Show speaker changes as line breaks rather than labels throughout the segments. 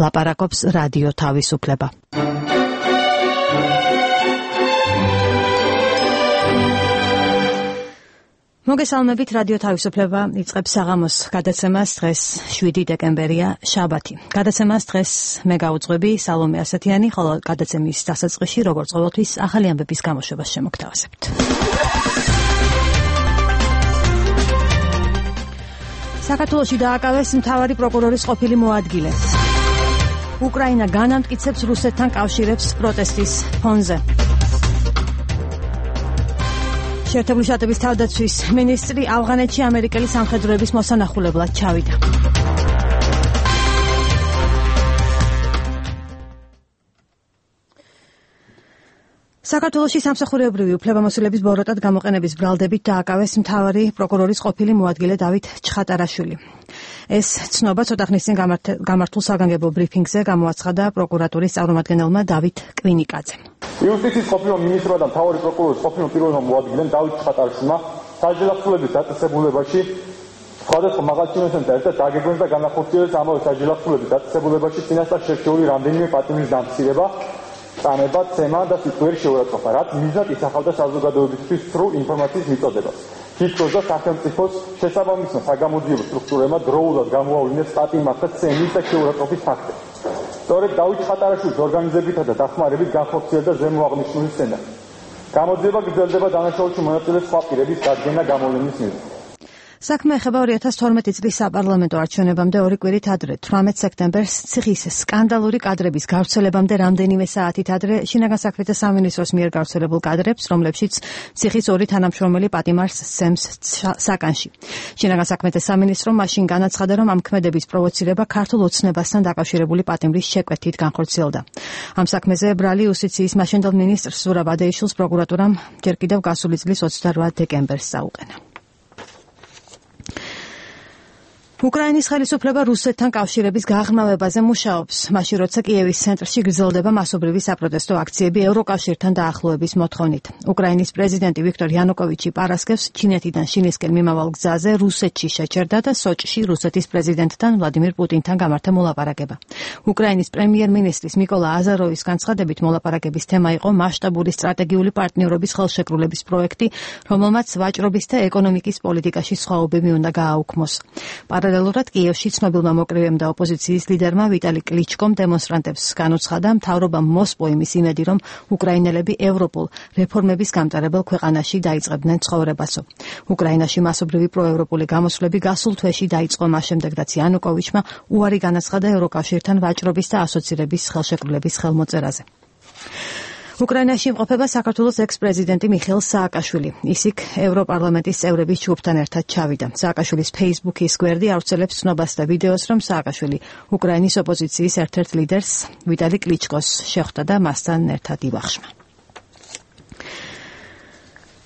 ლაპარაკობს რადიო თავისუფლება. მოგესალმებით, რადიო თავისუფლება იწყებს საღამოს გადაცემას. დღეს 7 დეკემბერია, შაბათი. გადაცემას დღეს მე გავუძღვები სალომე ასათიანი, ხოლო გადაცემის დასაწყისში, როგორც ყოველთვის, ახალი ამბების გამოშვებას შემოგთავაზებთ. საქართველოში დააკავეს მთავარი პროკურორის ყოფილი მოადგილე. უკრაინა განამტკიცებს რუსეთთან კავშირებს პროტესტის ფონზე. შეერთებული შტატების თავდაცვის მინისტრი ავღანეთში ამერიკელი სამხედროების მოსანახულებლად ჩავიდა. საქართველოში სამსახურეობრივი უფლებამოსილების ბოროტად გამოყენების ბრალდებით დააკავეს მთავარი პროკურორის ყოფილი მოადგილე დავით ჩხატარაშვილი. ეს ცნობა ცოტა ხნის წინ გამართულ საგანგებო ბრიფინგზე გამოაცხადა პროკურატურის წარმომადგენელმა დავით კვინიკაძემ.
იუსტიციის ყოფილ მინისტრმა და მთავარი პროკურორის ყოფილ პირველმა მოადგილემ დავით ჩხატარაშვილმა საჯელახსოვრების დაწესებულებაში სხვადასხვა მაღალჩინოსთან ერთად დაგეგმეს და განახორციელეს ამავე საჯელახსოვრების დაწესებულებაში წინასწარ შერჩეული რამდენიმე პატიმრის დამცირება, წანება, ცემა და სიტყვიერი შეურაცხყოფა, რაც მიზნად ისახავდა საზოგადოებისთვის სრულ ინფორმაციის მიწოდებას. თითქოს და სახელმწიფოს შესაბამისმა საგამოძიებო სტრუქტურებმა დროულად გამოავლინეს პატიმრთა და ცემის და შეურაცხყოფის ფაქტები. სწორედ დავით ჩხატარაშვილის ორგანიზებითა და დახმარებით განხორციელდა ზემო აღნიშნული სცენარი. გამოძიება გრძელდება დანაშაულში მონაწილე სხვა პირების დადგენა გამოვლენის მიზნით.
საქმე ეხება 2012 წლის საპარლამენტო არჩევნებამდე 2 კვირით ადრე, 18 სექტემბერს ციხის სკანდალური კადრების გავრცელებამდე რამდენიმე საათით ადრე შინაგან საქმეთა სამინისტროს მიერ გავრცელებულ კადრებს, რომლებშიც ციხის 2 თანამშრომელი პატიმარს სცემს საკანში. შინაგან საქმეთა სამინისტრომ მაშინ განაცხადა, რომ ამ ქმედების პროვოცირება ქართულ ოცნებასთან დაკავშირებული პატიმრის შეკვეთით განხორციელდა. ამ საქმეზე ბრალი იუსტიციის მაშინდელ მინისტრს ზურაბ ადეიშვილს პროკურატურამ ჯერ კიდევ გასული წლის 28 დეკემბერს წაუყენა. უკრაინის ხელისუფლება რუსეთთან კავშირების გაღრმავებაზე მუშაობს, მაშინ როცა კიევის ცენტრში გრძელდება მასობრივი საპროტესტო აქციები ევროკავშირთან დაახლოების მოთხოვნით. უკრაინის პრეზიდენტი ვიქტორ იანუკოვიჩი პარასკევს ჩინეთიდან შინისკენ მიმავალ გზაზე რუსეთში შეჩერდა და სოჭში რუსეთის პრეზიდენტთან ვლადიმირ პუტინთან გამართა მოლაპარაკება. უკრაინის პრემიერ-მინისტრის მიკოლა აზაროვის განცხადებით მოლაპარაკების თემა იყო მასშტაბური სტრატეგიული პარტნიორობის ხელშეკრულების პროექტი, რომელმაც ვაჭრობის და ეკონომიკის პოლიტიკაში სხვაობები უნდა გააუქმოს. პარალელურად კიევში ცნობილმა მოკრივემ და ოპოზიციის ლიდერმა ვიტალი კლიჩკომ დემონსტრანტებს განუცხადა მთავრობამ მოსპო იმის იმედი, რომ უკრაინელები ევროპულ რეფორმების გამტარებელ ქვეყანაში დაიწყებდნენ ცხოვრებასო. უკრაინაში მასობრივი პროევროპული გამოსვლები გასულ თვეში დაიწყო მას შემდეგ, რაც იანუკოვიჩმა უარი განაცხადა ევროკავშირთან ვაჭრობის და ასოცირების ხელშეკრულების ხელმოწერაზე. უკრაინაში იმყოფება საქართველოს ექს-პრეზიდენტი მიხეილ სააკაშვილი. ის იქ ევროპარლამენტის წევრების ჯგუფთან ერთად ჩავიდა. სააკაშვილის Facebook-ის გვერდი ავრცელებს ცნობას და ვიდეოს, რომ სააკაშვილი უკრაინის ოპოზიციის ერთ-ერთ ლიდერს ვიტალი კლიჩკოს შეხვდა და მასთან ერთად იბახშმა.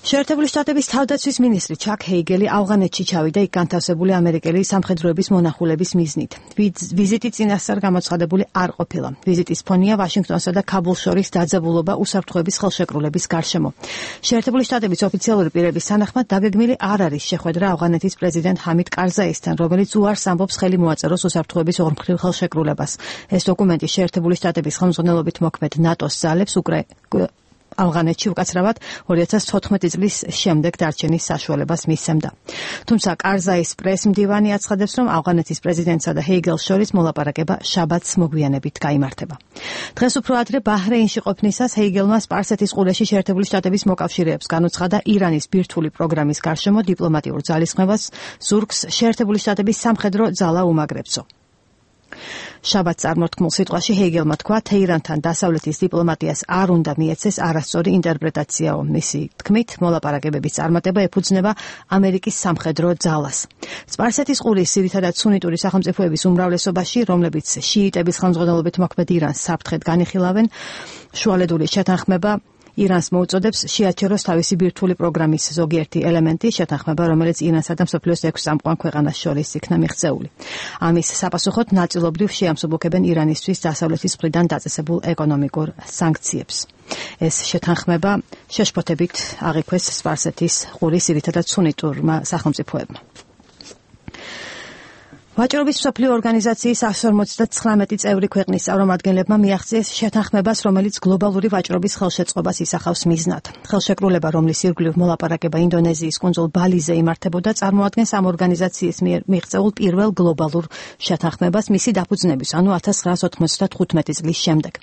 შეერთებული შტატების თავდაცვის მინისტრი ჩაკ ჰეიგელი ავღანეთში ჩავიდა იქ განთავსებული ამერიკელი სამხედროების მონახულების მიზნით. ვიზიტი წინასწარ გამოცხადებული არ ყოფილა. ვიზიტის ფონია ვაშინგტონსა და ქაბულს შორის დაძაბულობა უსაფრთხოების ხელშეკრულების გარშემო. შეერთებული შტატების ოფიციალური პირების თანახმად დაგეგმილი არ არის შეხვედრა ავღანეთის პრეზიდენტ ჰამიდ კარზაისთან, რომელიც უარს ამბობს ხელი მოაწეროს უსაფრთხოების ორმხრივ ხელშეკრულებას. ეს დოკუმენტი შეერთებული შტატების ხელმძღვანელობით მოქმედ ნატოს ძალებს ავღანეთში უკაცრავად 2014 წლის შემდეგ დარჩენის საშუალებას მისცემდა. თუმცა კარზაის პრეს-მდივანი აცხადებს, რომ ავღანეთის პრეზიდენტსა და ჰეიგელს შორის მოლაპარაკება შაბათს მოგვიანებით გაიმართება. დღეს უფრო ადრე ბაჰრეინში ყოფნისას ჰეიგელმა სპარსეთის ყურეში შეერთებული შტატების მოკავშირეებს განუცხადა ირანის ბირთვული პროგრამის გარშემო დიპლომატიურ ძალისხმევას ზურგს შეერთებული შტატების სამხედრო ძალა უმაგრებსო. შაბათს წარმოთქმულ სიტყვაში ჰეიგელმა თქვა, თეირანთან დასავლეთის დიპლომატიას არ უნდა მიეცეს არასწორი ინტერპრეტაციაო. მისი თქმით, მოლაპარაკებების წარმატება ეფუძნება ამერიკის სამხედრო ძალას. სპარსეთის ყურის ძირითადად სუნიტური სახელმწიფოების უმრავლესობაში, რომლებიც შიიტების ხელმძღვანელობით მოქმედ ირანს საფრთხედ განიხილავენ, შუალედური შეთანხმება ირანს მოუწოდებს შეაჩეროს თავისი ბირთვული პროგრამის ზოგიერთი ელემენტი, შეთანხმება, რომელიც ირანსა და მსოფლიოს 6 წამყვან ქვეყანას შორის იქნა მიღწეული. ამის საპასუხოდ ნაწილობრივ შეამსუბუქებენ ირანისთვის დასავლეთის მხრიდან დაწესებულ ეკონომიკურ სანქციებს. ეს შეთანხმება შეშფოთებით აღიქვეს სპარსეთის ყურის ძირითადად სუნიტურმა სახელმწიფოებმა. ვაჭრობის მსოფლიო ორგანიზაციის 159 წევრი ქვეყნის წარმომადგენლებმა მიაღწიეს შეთანხმებას, რომელიც გლობალური ვაჭრობის ხელშეწყობას ისახავს მიზნად. ხელშეკრულება, რომლის ირგვლივ მოლაპარაკება ინდონეზიის კუნძულ ბალიზე იმართებოდა, წარმოადგენს ამ ორგანიზაციის მიერ მიღწეულ პირველ გლობალურ შეთანხმებას მისი დაფუძნების, ანუ 1995 წლის შემდეგ.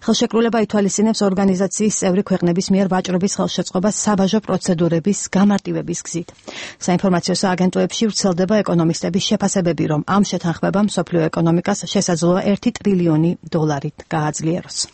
ხელშეკრულება ითვალისწინებს ორგანიზაციის წევრი ქვეყნების მიერ ვაჭრობის ხელშეწყობას საბაჟო პროცედურების გამარტივების გზით. საინფორმაციო სააგენტოებში ვრცელდება ეკონომისტების შეფასებები, რომ ამ შეთანხმებამ მსოფლიო ეკონომიკას შესაძლოა $1 ტრილიონი გააძლიეროს.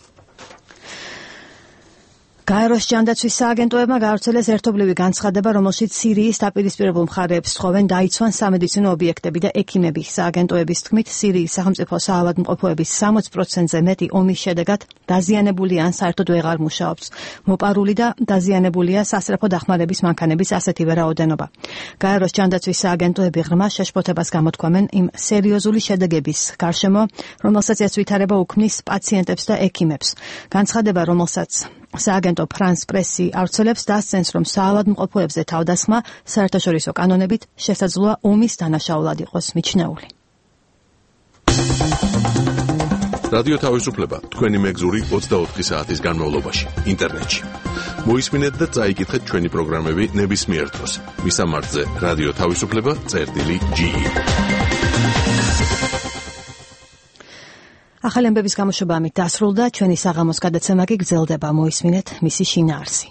გაეროს ჯანდაცვის სააგენტოებმა გაავრცელეს ერთობლივი განცხადება, რომელშიც სირიის დაპირისპირებულ მხარეებს სთხოვენ დაიცვან სამედიცინო ობიექტები და ექიმები. სააგენტოების თქმით, სირიის სახელმწიფო საავადმყოფოების 60%-ზე მეტი ომის შედეგად დაზიანებულია ან საერთოდ ვეღარ მუშაობს. მოპარული და დაზიანებულია სასწრაფო დახმარების მანქანების ასეთივე რაოდენობა. გაეროს ჯანდაცვის სააგენტოები ღრმა შეშფოთებას გამოთქვამენ იმ სერიოზული შედეგების გარშემო, რომელსაც ეს ვითარება უქმნის პაციენტებს და ექიმებს. განცხადება, რომელსაც სააგენტო ფრანს პრესი ავრცელებს, დასცენს, რომ საავადმყოფოებზე თავდასხმა საერთაშორისო კანონებით შესაძლოა ომის დანაშაულად იყოს მიჩნეული.
რადიო თავისუფლება თქვენი მეგზური 24 საათის განმავლობაში ინტერნეტში. მოისმინეთ და წაიკითხეთ ჩვენი პროგრამები ნებისმიერ დროს. მისამართზე რადიო თავისუფლება.ge.
ახალი ამბების გამოშვება ამით დასრულდა, ჩვენი საღამოს გადაცემა კი გრძელდება, მოისმინეთ მისი შინაარსი.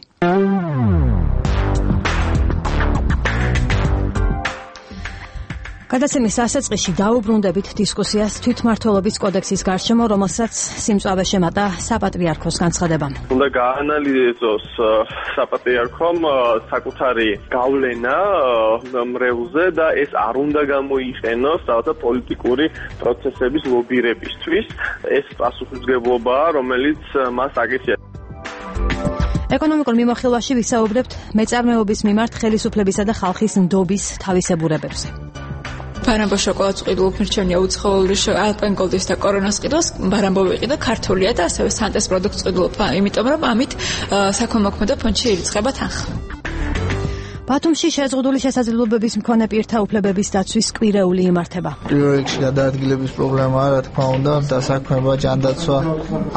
გადაცემის დასაწყისში დაუბრუნდებით დისკუსიას თვითმმართველობის კოდექსის გარშემო, რომელსაც სიმწვავე შემატა საპატრიარქოს განცხადებამ.
უნდა გაანალიზოს საპატრიარქომ საკუთარი გავლენა მრევლზე და ეს არ უნდა გამოიყენოს რაღაცა პოლიტიკური პროცესების ლობირებისთვის. ეს პასუხისმგებლობაა, რომელიც მას აკისრია.
ეკონომიკურ მიმოხილვაში ვისაუბრებთ მეწარმეობის მიმართ ხელისუფლებისა და ხალხის ნდობის თავისებურებებზე.
ბარამბო შოკოლადს ყიდულობ მირჩენია უცხოური ალპენგოლდის და კორონას ყიდულს ბარამბო ვიყიდა ქართულია და ასევე სანტეს პროდუქტს ყიდულობ, იმიტომ რომ ამით საქველმოქმედო ფონდში ირიცხება თანხა.
ბათუმში შეზღუდული შესაძლებლობების მქონე პირთა უფლებების დაცვის კვირეული იმართება.
პირველ რიგში გადაადგილების პრობლემაა, რა თქმა უნდა, დასაქმება, ჯანდაცვა.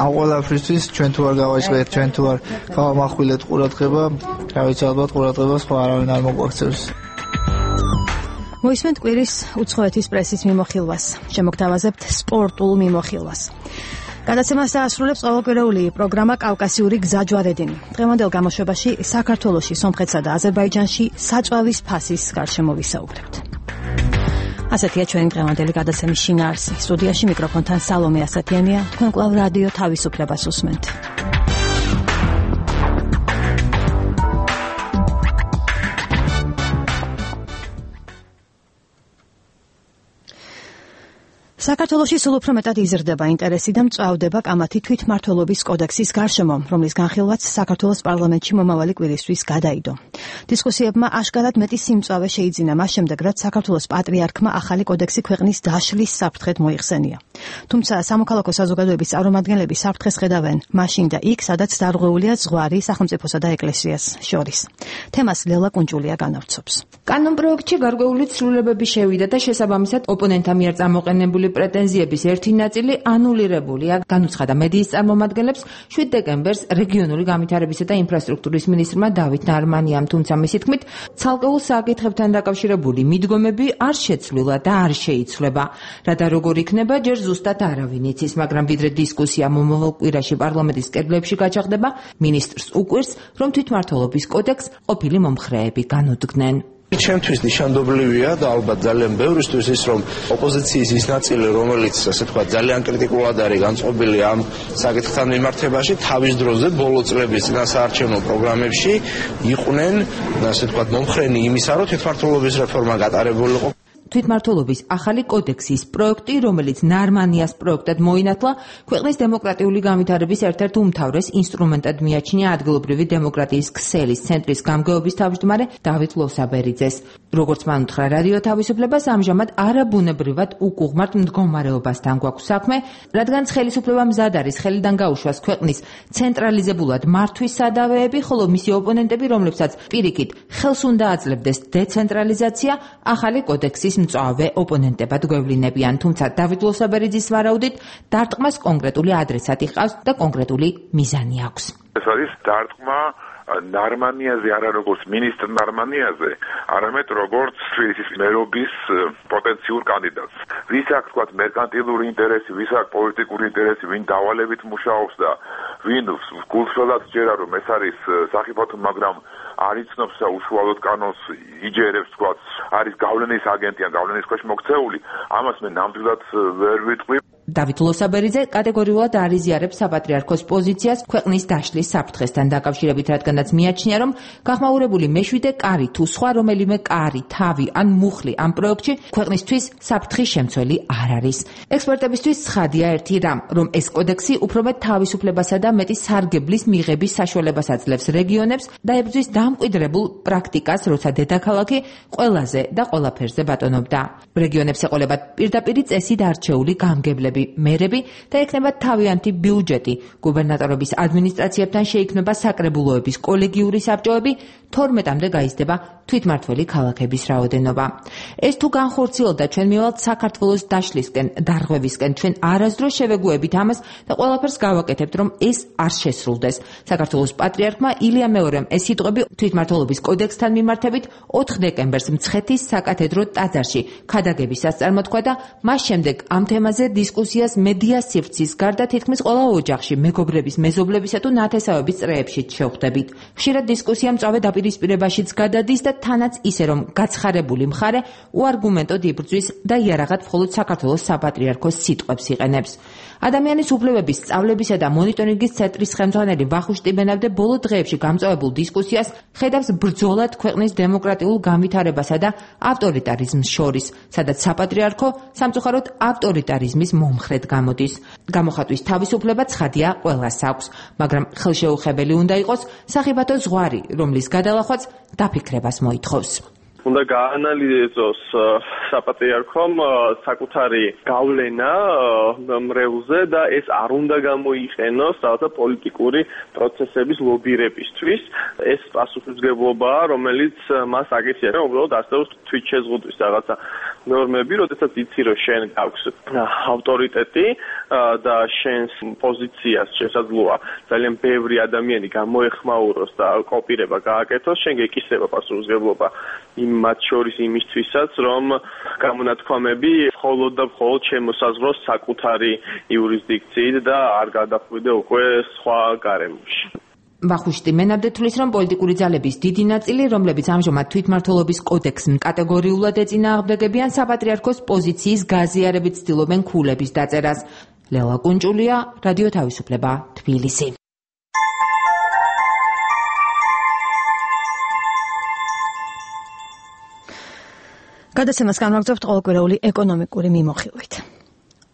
ამ ყველაფრისთვის ჩვენ თუ არ გავაჭრეთ, ჩვენ თუ არ გავამახვილეთ ყურადღება, რა ვიცი, ალბათ ყურადღება სხვა არავინ არ მოგვაქცევს.
მოისმენთ კვირის უცხოეთის პრესის მიმოხილვას. შემოგთავაზებთ სპორტულ მიმოხილვას. გადაცემას დაასრულებს ყოველკვირეული პროგრამა კავკასიური გზაჯვარედინი. დღევანდელ გამოშვებაში საქართველოში, სომხეთსა და აზერბაიჯანში საწვავის ფასის გარშემო ვისაუბრებთ. ასეთია ჩვენი დღევანდელი გადაცემის შინაარსი. სტუდიაში მიკროფონთან სალომე ასათიანია. თქვენ კვლავ რადიო თავისუფლებას უსმენთ. საქართველოში სულ უფრო მეტად იზრდება ინტერესი და მწვავდება კამათი თვითმმართველობის კოდექსის გარშემო, რომლის განხილვაც საქართველოს პარლამენტში მომავალი კვირისთვის გადაიდო. დისკუსიებმა აშკარად მეტი სიმწვავე შეიძინა მას შემდეგ, რაც საქართველოს პატრიარქმა ახალი კოდექსი ქვეყნის დაშლის საფრთხედ მოიხსენია. თუმცა სამოქალაქო საზოგადოების წარმომადგენლები საფრთხეს ხედავენ მაშინ და იქ, სადაც დარღვეულია ზღვარი სახელმწიფოსა და ეკლესიას შორის. თემას ლელა კუნჭულია განავრცობს.
კანონპროექტში გარკვეული ცვლილებები შევიდა და შესაბამისად ოპონენტთა მიერ წამოყენებული პრეტენზიების ერთი ნაწილი ანულირებულია. განუცხადა მედიის წარმომადგენლებს 7 დეკემბერს რეგიონული განვითარებისა და ინფრასტრუქტურის მინისტრმა დავით ნარმანიამ, თუმცა მისი თქმით, ცალკეულ საკითხებთან დაკავშირებული მიდგომები არ შეცვლილა და არ შეიცვლება. რა და როგორ იქნება, ჯერ ზუსტად არავინ იცის, მაგრამ ვიდრე დისკუსია მომავალ კვირაში პარლამენტის კედლებში გაჩაღდება, მინისტრს უყვირს, რომ თვითმმართველობის კოდექსს ყოფილი მომხრეები განუდგნენ.
ჩემთვის ნიშანდობლივია და ალბათ ძალიან ბევრისთვის ის, რომ ოპოზიციის ის ნაწილი, რომელიც ასე თქვა ძალიან კრიტიკულად არის განწყობილი ამ საკითხთან მიმართებაში, თავის დროზე ბოლო წლების წინასაარჩევნო პროგრამებში იყვნენ, ასე თქვა, მომხრენი იმისა, რომ თვითმმართველობის რეფორმა გატარებულიყო.
თვითმმართველობის ახალი კოდექსის პროექტი, რომელიც ნარმანიას პროექტად მოინათლა, ქვეყნის დემოკრატიული განვითარების ერთ-ერთ უმთავრეს ინსტრუმენტად მიაჩნია ადგილობრივი დემოკრატიის ქსელის ცენტრის გამგეობის თავმჯდომარე დავით ლოსაბერიძეს. როგორც მან უთხრა რადიო თავისუფლებას, ამჟამად არაბუნებრივად უკუღმართ მდგომარეობასთან გვაქვს საქმე, რადგან ხელისუფლება მზად არის ხელიდან გაუშვას ქვეყნის ცენტრალიზებულად მართვის სადავეები, ხოლო მისი ოპონენტები, რომლებსაც პირიქით ხელს უნდა აძლევდეს დეცენტრალიზაცია, ახალი კოდექსის მწვავე ოპონენტებად გვევლინებიან, თუმცა დავით ლოსაბერიძის ვარაუდით დარტყმას კონკრეტული ადრესატი ჰყავს და კონკრეტული მიზანი აქვს.
ეს არის დარტყმა ნარმანიაზე, არა როგორც მინისტრ ნარმანიაზე, არამედ როგორც ის მერობის პოტენციურ კანდიდატს. ვის აქვს თქვა მერკანტილური ინტერესი, ვის აქვს პოლიტიკური ინტერესი, ვინ დავალებით მუშაობს და ვინ გულწრფელად ჯერა რომ ეს არის სახიფათო, მაგრამ არ იცნობს და უშუალოდ კანონს იჯერებს, თქვა არის გავლენის აგენტი ან გავლენის ქვეშ მოქცეული, ამას მე ნამდვილად ვერ ვიტყვი.
დავით ლოსაბერიძე კატეგორიულად არ იზიარებს საპატრიარქოს პოზიციას ქვეყნის დაშლის საფრთხესთან დაკავშირებით, რადგანაც მიაჩნია, რომ გახმაურებული მეშვიდე კარი თუ სხვა რომელიმე კარი, თავი ან მუხლი ამ პროექტში ქვეყნისთვის საფრთხის შემცველი არ არის. ექსპერტებისთვის ცხადია ერთი რამ, რომ ეს კოდექსი უფრო მეტ თავისუფლებასა და მეტი სარგებლის მიღების საშუალებას აძლევს რეგიონებს და ებრძვის დამკვიდრებულ პრაქტიკას, როცა დედაქალაქი ყველაზე და ყველაფერზე ბატონობდა. რეგიონებს ეყოლებათ პირდაპირი წესით არჩეული გამგებლები, მერები და ექნება თავიანთი ბიუჯეტი. გუბერნატორების ადმინისტრაციებთან შეიქმნება საკრებულოების კოლეგიური საბჭოები, 12-მდე გაიზრდება თვითმმართველი ქალაქების რაოდენობა. ეს თუ განხორციელდა, ჩვენ მივალთ საქართველოს დაშლისკენ, დარღვევისკენ, ჩვენ არასდროს შევეგუებით ამას და ყველაფერს გავაკეთებთ, რომ ეს არ შესრულდეს. საქართველოს პატრიარქმა ილია მეორემ ეს სიტყვები თვითმმართველობის კოდექსთან მიმართებით 4 დეკემბერს მცხეთის საკათედრო ტაძარში ქადაგებისას წარმოთქვა და მას შემდეგ ამ თემაზე დისკუსიას მედია სივრცის გარდა თითქმის ყველა ოჯახში, მეგობრების, მეზობლებისა თუ ნათესავების წრეებშიც შევხვდებით. ხშირად დისკუსია მწვავე დაპირისპირებაშიც გადადის და თანაც ისე, რომ გაცხარებული მხარე უარგუმენტოდ იბრძვის და იარაღად მხოლოდ საქართველოს საპატრიარქოს სიტყვებს იყენებს. ადამიანის უფლებების სწავლებისა და მონიტორინგის ცენტრის ხელმძღვანელი ვახუშტი ტიბენავდე ბოლო დღეებში გამწვავებულ დისკუსიას ხედავს ბრძოლად ქვეყნის დემოკრატიულ განვითარებასა და ავტორიტარიზმს შორის, სადაც საპატრიარქო სამწუხაროდ ავტორიტარიზმის მომხრედ გამოდის. გამოხატვის თავისუფლება ცხადია ყველას აქვს, მაგრამ ხელშეუხებელი უნდა იყოს სახიფათო ზღვარი, რომლის გადალახვაც დაფიქრებას მოითხოვს.
უნდა გაანალიზოს საპატრიარქომ საკუთარი გავლენა მრევლზე და ეს არ უნდა გამოიყენოს რაღაცა პოლიტიკური პროცესების ლობირებისთვის. ეს პასუხისმგებლობაა, რომელიც მას აკისრია, რომ უბრალოდ არსებობს თვითშეზღუდვის რაღაცა ნორმები, როდესაც იცი, რომ შენ გაქვს ავტორიტეტი და შენს პოზიციას შესაძლოა ძალიან ბევრი ადამიანი გამოეხმაუროს და კოპირება გააკეთოს, შენ გეკისრება პასუხისმგებლობა მათ შორის იმისთვისაც, რომ გამონათქვამები მხოლოდ და მხოლოდ შემოსაზღვროს საკუთარი იურისდიქციით და არ გადახვიდე უკვე სხვა გარემოში.
ვახუშტი ტიბენავდე თვლის, რომ პოლიტიკური ძალების დიდი ნაწილი, რომლებიც ამჟამად თვითმმართველობის კოდექსს კატეგორიულად ეწინააღმდეგებიან, საპატრიარქოს პოზიციის გაზიარებით ცდილობენ ქულების დაწერას. ლელა კუნჭულია, რადიო თავისუფლება, თბილისი.
გადაცემას განვაგრძობთ ყოველკვირეული ეკონომიკური მიმოხილვით.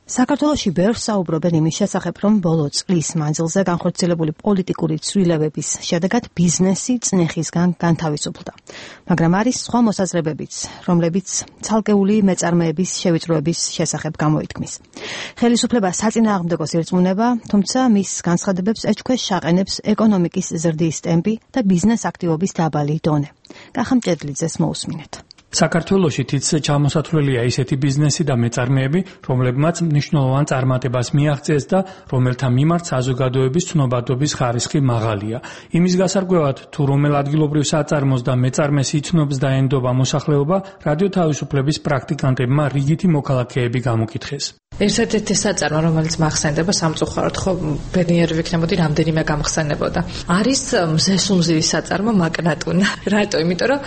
საქართველოში ბევრს საუბრობენ იმის შესახებ, რომ ბოლო წლის მანძილზე განხორციელებული პოლიტიკური ცვლილებების შედეგად ბიზნესი წნეხისგან განთავისუფლდა. მაგრამ არის სხვა მოსაზრებებიც, რომლებიც ცალკეული მეწარმეების შევიწროების შესახებ გამოითქმის. ხელისუფლება საწინააღმდეგოს ირწმუნება, თუმცა მის განცხადებებს ეჭქვეშ აყენებს ეკონომიკის ზრდის ტემპი და ბიზნეს აქტივობის დაბალი დონე. კახამ ჭედლიძეს მოусმინეთ.
საქართველოში თითზე ჩამოსათვლელია ისეთი ბიზნესი და მეწარმეები, რომლებმაც მნიშვნელოვან წარმატებას მიაღწიეს და რომელთა მიმართ საზოგადოების ცნობადობის ხარისხი მაღალია. იმის გასარკვევად, თუ რომელ ადგილობრივ საწარმოს და მეწარმეს იცნობს და ენდობა მოსახლეობა, რადიო თავისუფლების პრაქტიკანტებმა რიგითი მოქალაქეები გამოკითხეს.
ერთ-ერთი საწარმო, რომელიც მახსენდება სამწუხაროდ, ხო, ბედნიერი ვიქნებოდი, რამდენიმე გამხსენებოდა. არის მზესუმზირის საწარმო მაკნატუნა. რატო? იმიტომ რომ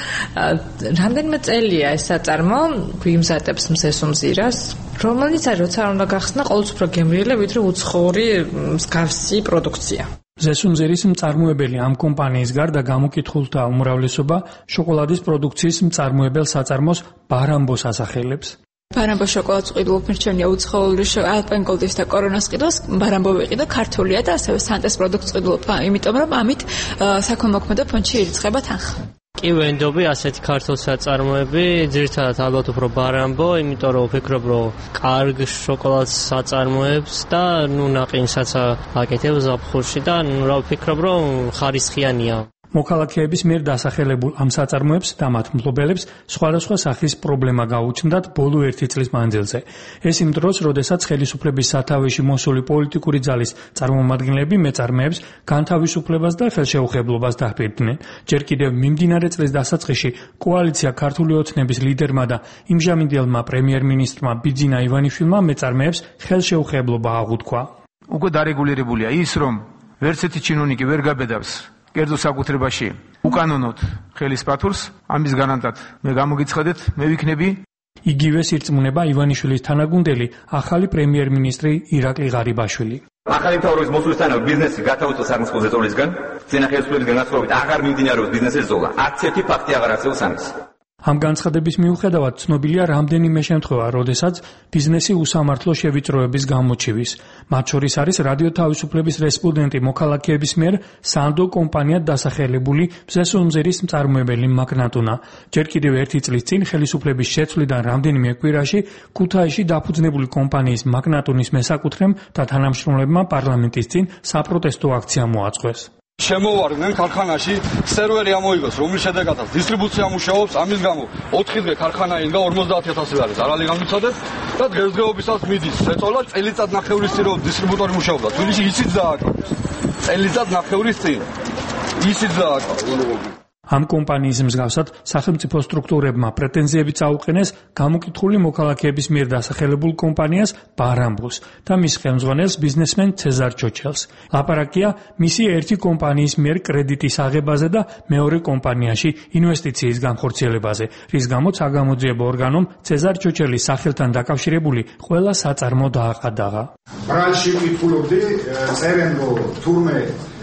რამდენიმე წელია ეს საწარმო გვიმზადებს მზესუმზირას, რომელიც არის როცა უნდა გახსნა ყოველთვის უფრო გემრიელი, ვიდრე უცხოური მსგავსი პროდუქცია.
მზესუმზირის მწარმოებელი ამ კომპანიის გარდა გამოკითხულთა უმრავლესობა შოკოლადის პროდუქციის მწარმოებელ საწარმოს ბარამბოს ასახელებს.
ბარამბო შოკოლადს ყიდულობ მირჩენია უცხოური ალპენგოლდის და კორონას ყიდულს ბარამბო ვიყიდო, ქართულია და ასევე სანტეს პროდუქტს ყიდულობ, იმიტომ რომ ამით საქველმოქმედო ფონდში ირიცხება თანხა.
კი ვენდობი ასეთი ქართულ საწარმოები, ძირითადად ალბათ უფრო ბარამბო, იმიტომ რომ ვფიქრობ, რომ კარგ შოკოლადს საწარმოებს და ნაყინსაც აკეთებს ზაფხულში და ვფიქრობ, რომ ხარისხიანია.
მოქალაქეების მიერ დასახელებულ ამ საწარმოებს და მათ მფლობელებს სხვადასხვა სახის პრობლემა გაუჩნდათ ბოლო 1 წლის მანძილზე. ეს იმ დროს, როდესაც ხელისუფლების სათავეში მოსული პოლიტიკური ძალის წარმომადგენლები მეწარმეებს განთავისუფლებას და ხელშეუხებლობას დაჰპირდნენ. ჯერ კიდევ მიმდინარე წლის დასაწყისში კოალიცია ქართული ოცნების ლიდერმა და იმჟამინდელმა პრემიერ-მინისტრმა ბიძინა ივანიშვილმა მეწარმეებს ხელშეუხებლობა აღუთქვა.
უკვე დარეგულირებულია ის, რომ ვერცერთი ჩინოვნიკი ვერ გაბედავს კერძო საკუთრებაში უკანონოდ ხელის პათურს, ამის გარანტად მე გამოგიცხადეთ, მე ვიქნები.
იგივე სირწმუნება ივანიშვილის თანაგუნდელი ახალი პრემიერ-მინისტრი ირაკლი ღარიბაშვილი.
ახალი მთავრობის მოსვლისთანავე ბიზნესი გათავისუფლდა სახელმწიფო ზეწოლისგან, წინა ხელისუფლების განაცვლებით აღარ მიმდინარეობს ბიზნესის ზოლა. არც ერთი ფაქტი აღარ არსებობს ამის.
ამ განცხადების მიუხედავად ცნობილია რამდენიმე შემთხვევა, როდესაც ბიზნესი უსამართლო შევიწროების გამოჩივის. მათ შორის არის რადიო თავისუფლების რესპონდენტი მოქალაქეების მიერ სანდო კომპანიად დასახელებული მზესუმზირის მწარმოებელი მაგნატუნა. ჯერ კიდევ 1 წლის წინ ხელისუფლების შეცვლიდან რამდენიმე კვირაში ქუთაისში დაფუძნებული კომპანიის მაგნატუნის მესაკუთრემ და თანამშრომლებმა პარლამენტის წინ საპროტესტო აქცია მოაწყვეს.
შემოვარდნენ ქარხანაში სერვერი ამოიღოს, რომლის შედეგადაც დისტრიბუცია მუშაობს, ამის გამო 4 დღე ქარხანა ინგა 50000 ლარის არალი გამიცადეთ და დღესდღეობისას მიდის შეწოლა წელიწადნახევრის წინ რომ დისტრიბუტორი მუშაობდა. თბილისში ისიც დააკავეს. წელიწადნახევრის წინ ისიც დააკავეს.
ამ კომპანიის მსგავსად სახელმწიფო სტრუქტურებმა პრეტენზიები წაუყენეს გამოკითხული მოქალაქეების მიერ დასახელებულ კომპანიას ბარამბულს და მის ხელმძღვანელს ბიზნესმენ ცეზარ ჩოჩელს. ლაპარაკია მისი ერთი კომპანიის მიერ კრედიტის აღებაზე და მეორე კომპანიაში ინვესტიციის განხორციელებაზე, რის გამოც საგამოძიებო ორგანომ ცეზარ ჩოჩელის სახელთან დაკავშირებული ყველა საწარმო დააყადაღა.
ბრალში ვკითხულობდი, წერენ რომ თურმე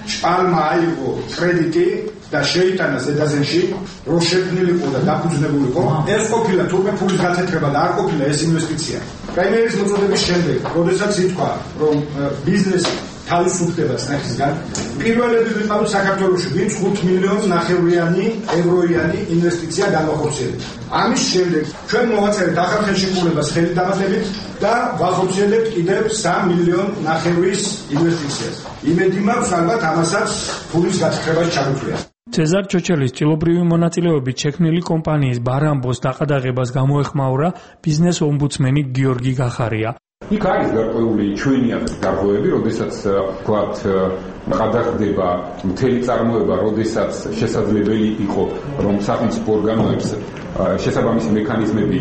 შპალმა აიღო კრედიტი და შეიტანა ზედაზენში, რომ შექმნილიყო და დაფუძნებულიყო, ეს ყოფილა თურმე ფულის გაცეთრება და არ ყოფილა ეს ინვესტიცია. პრემიერის მოწოდების შემდეგ, როდესაც ითქვა, რომ ბიზნესი თავისუფლდება წნეხისგან, პირველები ვიყავით საქართველოში, ვინც 5 მილიონი ნახევრიანი ევროიანი ინვესტიცია განახორციელებთ. ამის შემდეგ ჩვენ მოვაწერეთ ახალ ხელშეკრულებას ხელით დამატებით და ვახორციელებთ კიდევ 3 მილიონ ნახევრის ინვესტიციას. იმედი მაქვს, ალბათ ამასაც ფულის გაცხრებაში ჩაგუწვია.
ცეზარ ჩოჩელის ჭილობრივი მონაწილეობით შექმნილი კომპანიის ბარამბოს დაყადაღებას გამოეხმაურა ბიზნეს ომბუდსმენი გიორგი გახარია.
იქ არის გარკვეული ჩვენი გარღვევები, როდესაც ვთქვათ ყადაღდება მთელი წარმოება, როდესაც შესაძლებელი იყო, რომ სახელმწიფო ორგანოებს შესაბამისი მექანიზმები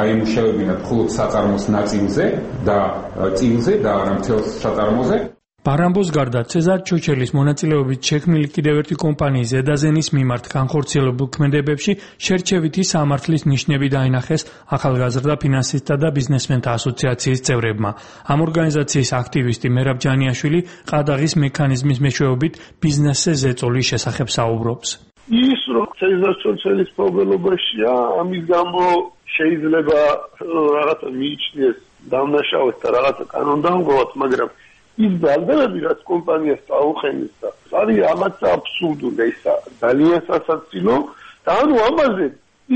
აემუშავებინათ მხოლოდ საწარმოს ნაწილზე და წილზე და არა მთელ საწარმოზე.
ბარამბოს გარდა ცეზარ ჩოჩელის მონაწილეობით შექმნილი კიდევ ერთი კომპანიის ზედაზენის მიმართ განხორციელებულ ქმედებებში შერჩევითი სამართლის ნიშნები დაინახეს ახალგაზრდა ფინანსისტთა და ბიზნესმენთა ასოციაციის წევრებმა. ამ ორგანიზაციის აქტივისტი მერაბ ჯანიაშვილი ყადაღის მექანიზმის მეშვეობით ბიზნესზე ზეწოლის შესახებ საუბრობს.
ის რომ ცეზარ ჩოჩელის პრობლემებია, ამის გამო შეიძლება რაღაცა მიიჩნიეს დამნაშავეს და რაღაცა კანონდამღვრად, მაგრამ ის ბალდებები, რაც კომპანიას წაუყენეს და არის ამაც აბსურდული, ისა ძალიან სასაცილო და ანუ ამაზე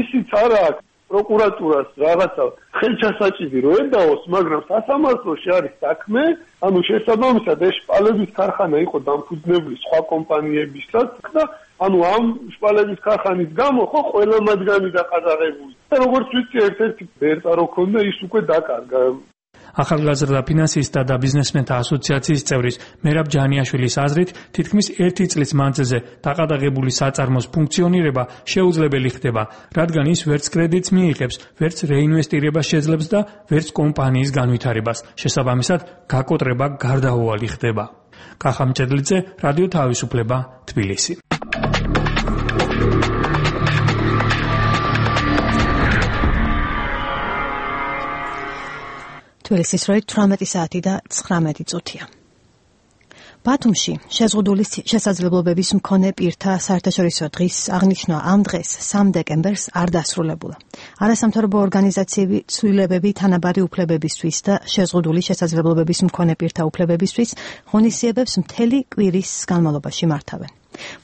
ისიც არა აქვს პროკურატურას რაღაცა ხელჩასაჭირი რო ედაოს, მაგრამ სასამართლოში არის საქმე, ანუ შესაბამისად ეს შპალების ქარხანა იყო დამფუძნებული სხვა კომპანიებისაც და ანუ ამ შპალების ქარხანის გამო ხო ყველა მათგანი დაყადაღებული. და როგორც ვიცი, ერთ-ერთი ბერტა რო ქონდა, ის უკვე დაკარგა.
ახალგაზრდა ფინანსისტთა და ბიზნესმენთა ასოციაციის წევრის მერაბ ჯანიაშვილის აზრით, თითქმის 1 წლის მანძილზე დაყადაღებული საწარმოს ფუნქციონირება შეუძლებელი ხდება, რადგან ის ვერც კრედიტს მიიღებს, ვერც რეინვესტირებას შეძლებს და ვერც კომპანიის განვითარებას. შესაბამისად, გაკოტრება გარდაუვალი ხდება. კახა მჭედლიძე, რადიო თავისუფლება, თბილისი.
თბილისის როით 18 საათი და 19 წუთია. ბათუმში შეზღუდული შესაძლებლობების მქონე პირთა საერთაშორისო დღის აღნიშვნა ამ დღეს 3 დეკემბერს არ დასრულებულა. არასამთავრობო ორგანიზაციები ცვლილებები თანაბარი უფლებებისთვის და შეზღუდული შესაძლებლობების მქონე პირთა უფლებებისთვის ღონისძიებებს მთელი კვირის განმავლობაში მართავენ.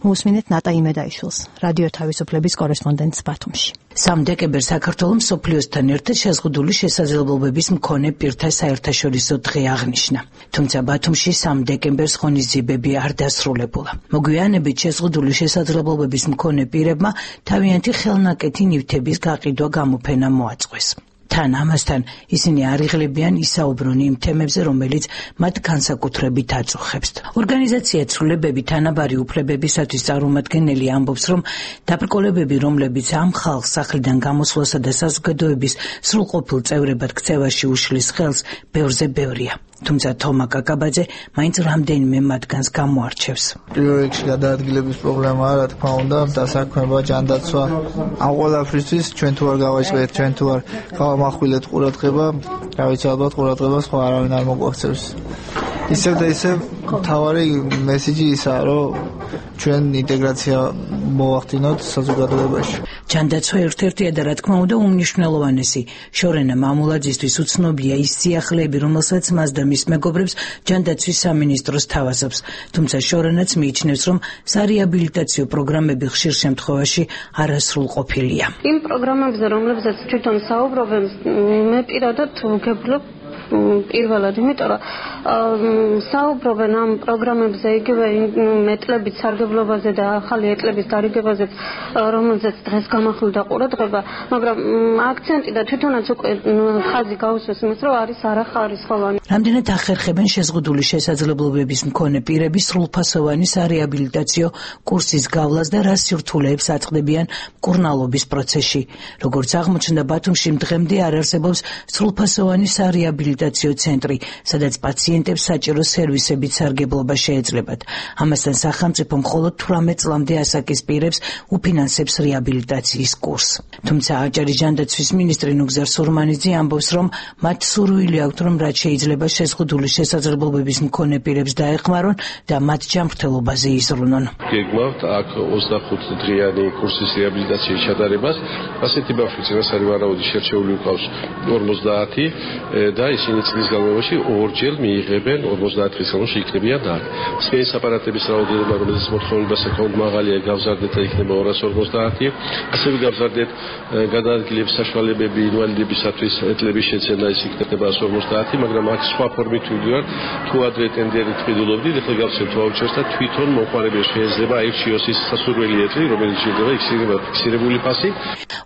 მოусმინეთ ნატა იმედაიშვილს, რადიო თავისუფლების კორესპონდენტს ბათუმში.
3 დეკემბერს საქართველოს მსოფლიოსთან ერთად შეზღუდული შესაძლებლობების მქონე პირთა საერთაშორისო დღე აღნიშნა. თუმცა ბათუმში 3 დეკემბერს ღონისძიებები არ დასრულებულა. მოგვიანებით შეზღუდული შესაძლებლობების მქონე პირებმა თავიანთი ხელნაკეთი ნივთების გაყიდვა გამოფენა მოაწყვეს. თან ამასთან ისინი არ იღლებიან ისაუბრონ იმ თემებზე, რომელიც მათ განსაკუთრებით აწუხებს. ორგანიზაცია ცვლილებები თანაბარი უფლებებისათვის წარმომადგენელი ამბობს, რომ დაბრკოლებები, რომლებიც ამ ხალხს სახლიდან გამოსვლასა და საზოგადოების სრულყოფილ წევრებად ქცევაში უშლის ხელს, ბევრზე ბევრია. თუმცა თომა კაკაბაძე მაინც რამდენიმე მათგანს გამოარჩევს.
პირველ რიგში გადაადგილების პრობლემაა, რა თქმა უნდა, დასაქმება, ჯანდაცვა. ამ ყველაფრისთვის ჩვენ თუ არ გავაჭრეთ, ჩვენ თუ არ გავამახვილეთ ყურადღება, რა ვიცი, ალბათ ყურადღებას ხო არავინ არ მოგვაქცევს. ისევ და ისევ მთავარი მესიჯი ისაა, რომ ჩვენ ინტეგრაცია მოვახდინოთ საზოგადოებაში.
ჯანდაცვა ერთ-ერთია და რა თქმა უნდა უმნიშვნელოვანესი. შორენა მამულაძისთვის უცნობია ის სიახლეები, რომელსაც მას და მის მეგობრებს ჯანდაცვის სამინისტროს თავაზობს. თუმცა შორენაც მიიჩნევს, რომ სარეაბილიტაციო პროგრამები ხშირ შემთხვევაში არასრულყოფილია.
იმ პროგრამებზე, რომლებზეც თვითონ საუბრობენ, მე პირადად ვგებლობ პირველად, იმიტომ რომ საუბრობენ ამ პროგრამებზე იგივე მეტლების სარგებლობაზე და ახალი ეტლების დარიგებაზე, რომელზეც დღეს გამახვილდა ყურადღება, მაგრამ აქცენტი და თვითონაც უკვე ხაზი გაუსვეს იმას, რომ არის არახარისხოვანი.
რამდენად ახერხებენ შეზღუდული შესაძლებლობების მქონე პირების სრულფასოვანი სარეაბილიტაციო კურსის გავლას და რა სირთულეებს აწყდებიან მკურნალობის პროცესში. როგორც აღმოჩნდა, ბათუმში დღემდე არ არსებობს სრულფასოვანი სარეაბილიტაციო ცენტრი, სადაც პაციენტებს საჭირო სერვისებით სარგებლობა შეეძლებათ. ამასთან სახელმწიფო მხოლოდ 18 წლამდე ასაკის პირებს უფინანსებს რეაბილიტაციის კურსს. თუმცა აჭარის ჯანდაცვის მინისტრი ნუგზარ სურმანიძე ამბობს, რომ მათ სურვილი აქვთ, რომ რაც შეიძლება შეზღუდული შესაძლებლობების მქონე პირებს დაეხმარონ და მათ ჯანმრთელობაზე იზრუნონ.
გეგმავთ აქ 25 დღიანი კურსის რეაბილიტაციის ჩატარებას. ასეთი ბავშვი წინასწარი ვარაუდი შერჩეული უკავს 50 და ისინი წლის განმავლობაში ორჯერ მიიღებენ 50 დღის განმავლობაში იქნებიან და სპეციალიზ აპარატების რაოდენობა, რომელზეც მოთხოვნება საკმაოდ მაღალია, გავზარდეთ და იქნება 250. ასევე გავზარდეთ გადაადგილების საშუალებები ინვალიდებისათვის ეტლების შეცენა, ის იქნება 150, მაგრამ აქ სხვა ფორმით ვიდივარ, თუ ადრე ტენდერით ვიდულობდით, ახლა გავცემთ ვაუჩერს და თვითონ მომხმარებელს შეიძლება აირჩიოს ის სასურველი ეტლი, რომელიც შეიძლება იქნება ფიქსირებული ფასი.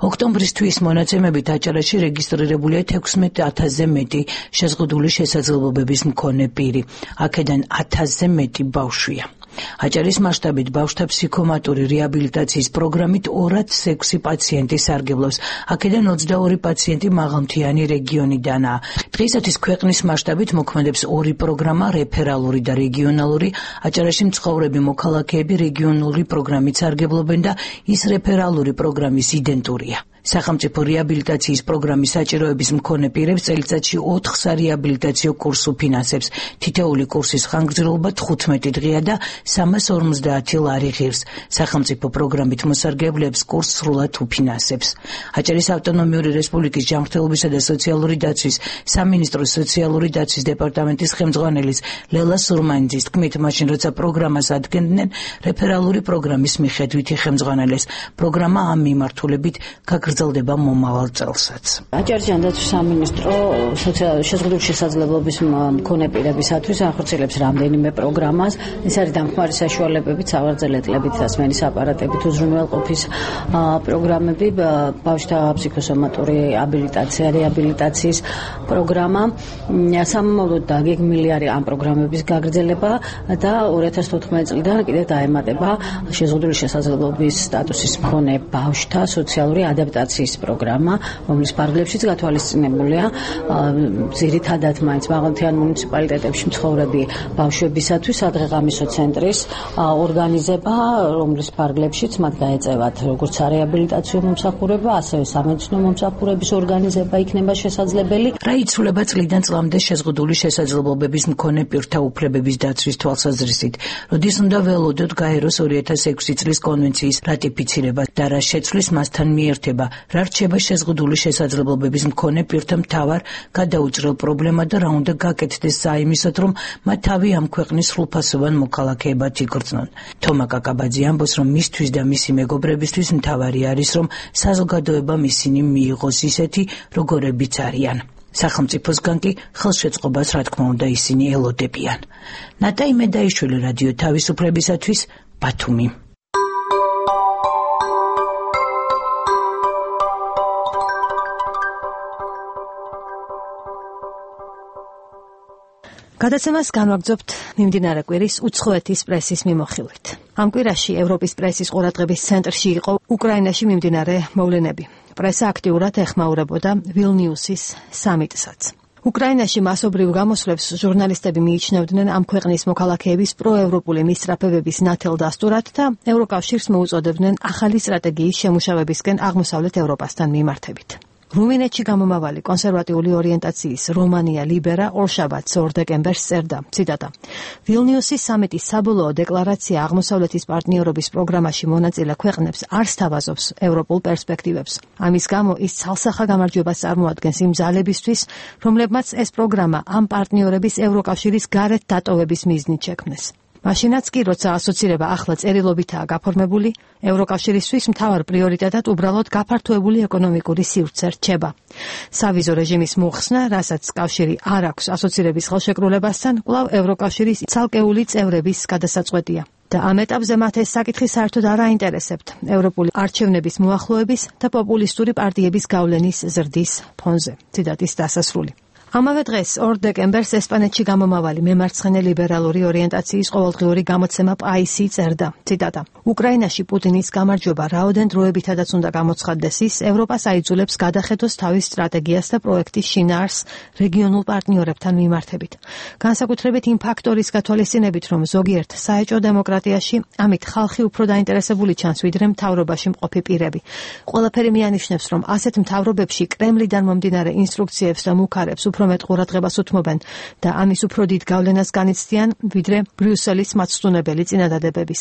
ოქტომბრის მონაცემებით აჭარაში რეგისტრირებულია 16,000-ზე მეტი შეზღუდული შესაძლებლობების მქონე პირი. აქედან 1000-ზე მეტი ბავშვია. აჭარის მასშტაბით ბავშვთა ფსიქომატური რეაბილიტაციის პროგრამით 206 პაციენტი სარგებლობს. აქედან 22 პაციენტი მაღალმთიანი რეგიონიდანაა. დღეისათვის ქვეყნის მასშტაბით მოქმედებს 2 პროგრამა, რეფერალური და რეგიონალური. აჭარაში მცხოვრები მოქალაქეები რეგიონული პროგრამით სარგებლობენ და ის რეფერალური პროგრამის იდენტურია. სახელმწიფო რეაბილიტაციის პროგრამის საჭიროების მქონე პირებს წელიწადში 4 სარეაბილიტაციო კურსს უფინანსებს. თითოეული კურსის ხანგრძლივობა 15 დღეა და 350 ლარი ღირს. სახელმწიფო პროგრამით მოსარგებლეებს კურსს სრულად უფინანსებს. აჭარის ავტონომიური რესპუბლიკის ჯანმრთელობისა და სოციალური დაცვის სამინისტროს სოციალური დაცვის დეპარტამენტის ხელმძღვანელის ლელა სურმანიძის თქმით, მაშინ როცა პროგრამას ადგენდნენ, რეფერალური პროგრამის მიხედვითი ხელმძღვანელეს. პროგრამა ამ მიმართულებით გაგრძელდება მომავალ წელსაც.
აჭარის ჯანდაცვის სამინისტრო შეზღუდული შესაძლებლობის მქონე პირებისათვის ახორციელებს რამდენიმე პროგრამას. ეს არის დამხმარე საშუალებებით, სავარძელ ეტლებით, სასმენის აპარატებით, უზრუნველყოფის პროგრამები, ბავშვთა ფსიქოსომატური რეაბილიტაციის პროგრამა. სამომავლოდ დაგეგმილი არის ამ პროგრამების გაგრძელება და 2014 წლიდან კიდევ დაემატება შეზღუდული შესაძლებლობის სტატუსის მქონე ბავშვთა სოციალური ადაპტაციის პროგრამა, რომლის ფარგლებშიც გათვალისწინებულია ძირითადად მაინც მაღალმთიან მუნიციპალიტეტებში მცხოვრები ბავშვებისათვის სადღეღამისო ცენტრის ორგანიზება, რომლის ფარგლებშიც მათ გაეწევათ როგორც სარეაბილიტაციო მომსახურება, ასევე სამედიცინო მომსახურების ორგანიზება იქნება შესაძლებელი.
რა იცვლება წლიდან წლამდე შეზღუდული შესაძლებლობების მქონე პირთა უფლებების დაცვის თვალსაზრისით? როდის უნდა ველოდოთ გაეროს 2006 წლის კონვენციის რატიფიცირება და რა შეცვლის მასთან მიერთება, რა რჩება შეზღუდული შესაძლებლობების მქონე პირთა მთავარ გადაუჭრელ პრობლემად და რა უნდა გაკეთდეს საიმისოდ, რომ მათ თავი ამ ქვეყნის სრულფასოვან მოქალაქეებად იგრძნონ. თომა კაკაბაძე ამბობს, რომ მისთვის და მისი მეგობრებისთვის მთავარი არის, რომ საზოგადოებამ ისინი მიიღოს ისეთი, როგორებიც არიან. სახელმწიფოსგან კი ხელშეწყობას, რა თქმა უნდა, ისინი ელოდებიან. ნატაი მედაიშვილი, რადიო თავისუფლებისათვის, ბათუმი.
გადაცემას განვაგრძობთ მიმდინარე კვირის უცხოეთის პრესის მიმოხილვით. ამ კვირაში ევროპის პრესის ყურადღების ცენტრში იყო უკრაინაში მიმდინარე მოვლენები. პრესა აქტიურად ეხმაურებოდა ვილნიუსის სამიტსაც. უკრაინაში მასობრივ გამოსვლებს ჟურნალისტები მიიჩნევდნენ ამ ქვეყნის მოქალაქეების პროევროპული მისწრაფებების ნათელ დასტურად და ევროკავშირს მოუწოდებდნენ ახალი სტრატეგიის შემუშავებისკენ აღმოსავლეთ ევროპასთან მიმართებით. რუმინეთში გამომავალი კონსერვატიული ორიენტაციის რომანია ლიბერა ორშაბათს 2 დეკემბერს წერდა, ციტატა: ვილნიუსის სამიტის საბოლოო დეკლარაცია აღმოსავლეთის პარტნიორობის პროგრამაში მონაწილე ქვეყნებს არ სთავაზობს ევროპულ პერსპექტივებს. ამის გამო ის ცალსახა გამარჯვებას წარმოადგენს იმ ძალებისთვის, რომლებმაც ეს პროგრამა ამ პარტნიორების ევროკავშირის გარეთ დატოვების მიზნით შექმნეს. მაშინაც კი, როცა ასოცირება ახლა წერილობითაა გაფორმებული, ევროკავშირისთვის მთავარ პრიორიტეტად უბრალოდ გაფართოებული ეკონომიკური სივრცე რჩება. სავიზო რეჟიმის მოხსნა, რასაც კავშირი არ აქვს ასოცირების ხელშეკრულებასთან, კვლავ ევროკავშირის ცალკეული წევრების გადასაწყვეტია. და ამ ეტაპზე მათ ეს საკითხი საერთოდ არ აინტერესებთ ევროპული არჩევნების მოახლოების და პოპულისტური პარტიების გავლენის ზრდის ფონზე. ციტატის დასასრული. ამავე დღეს 2 დეკემბერს ესპანეთში გამომავალი მემარცხენე ლიბერალური ორიენტაციის ყოველდღიური გამოცემა პაისი წერდა, ციტატა: უკრაინაში პუტინის გამარჯვება რაოდენ დროებითადაც უნდა გამოცხადდეს ის, ევროპას აიძულებს გადახედოს თავის სტრატეგიას და პროექტის შინაარსს რეგიონულ პარტნიორებთან მიმართებით. განსაკუთრებით იმ ფაქტორის გათვალისწინებით, რომ ზოგიერთ საეჭვო დემოკრატიაში ამით ხალხი უფრო დაინტერესებული ჩანს, ვიდრე მთავრობაში მყოფი პირები. ყველაფერი მიანიშნებს, რომ ასეთ მთავრობებში კრემლიდან მომდინარე ინსტრუქციებს და მუქარებს უფრო მეტ ყურადღებას უთმობენ და ამის უფრო დიდ გავლენას განიცდიან, ვიდრე ბრიუსელის მაცდუნებელი წინადადებების.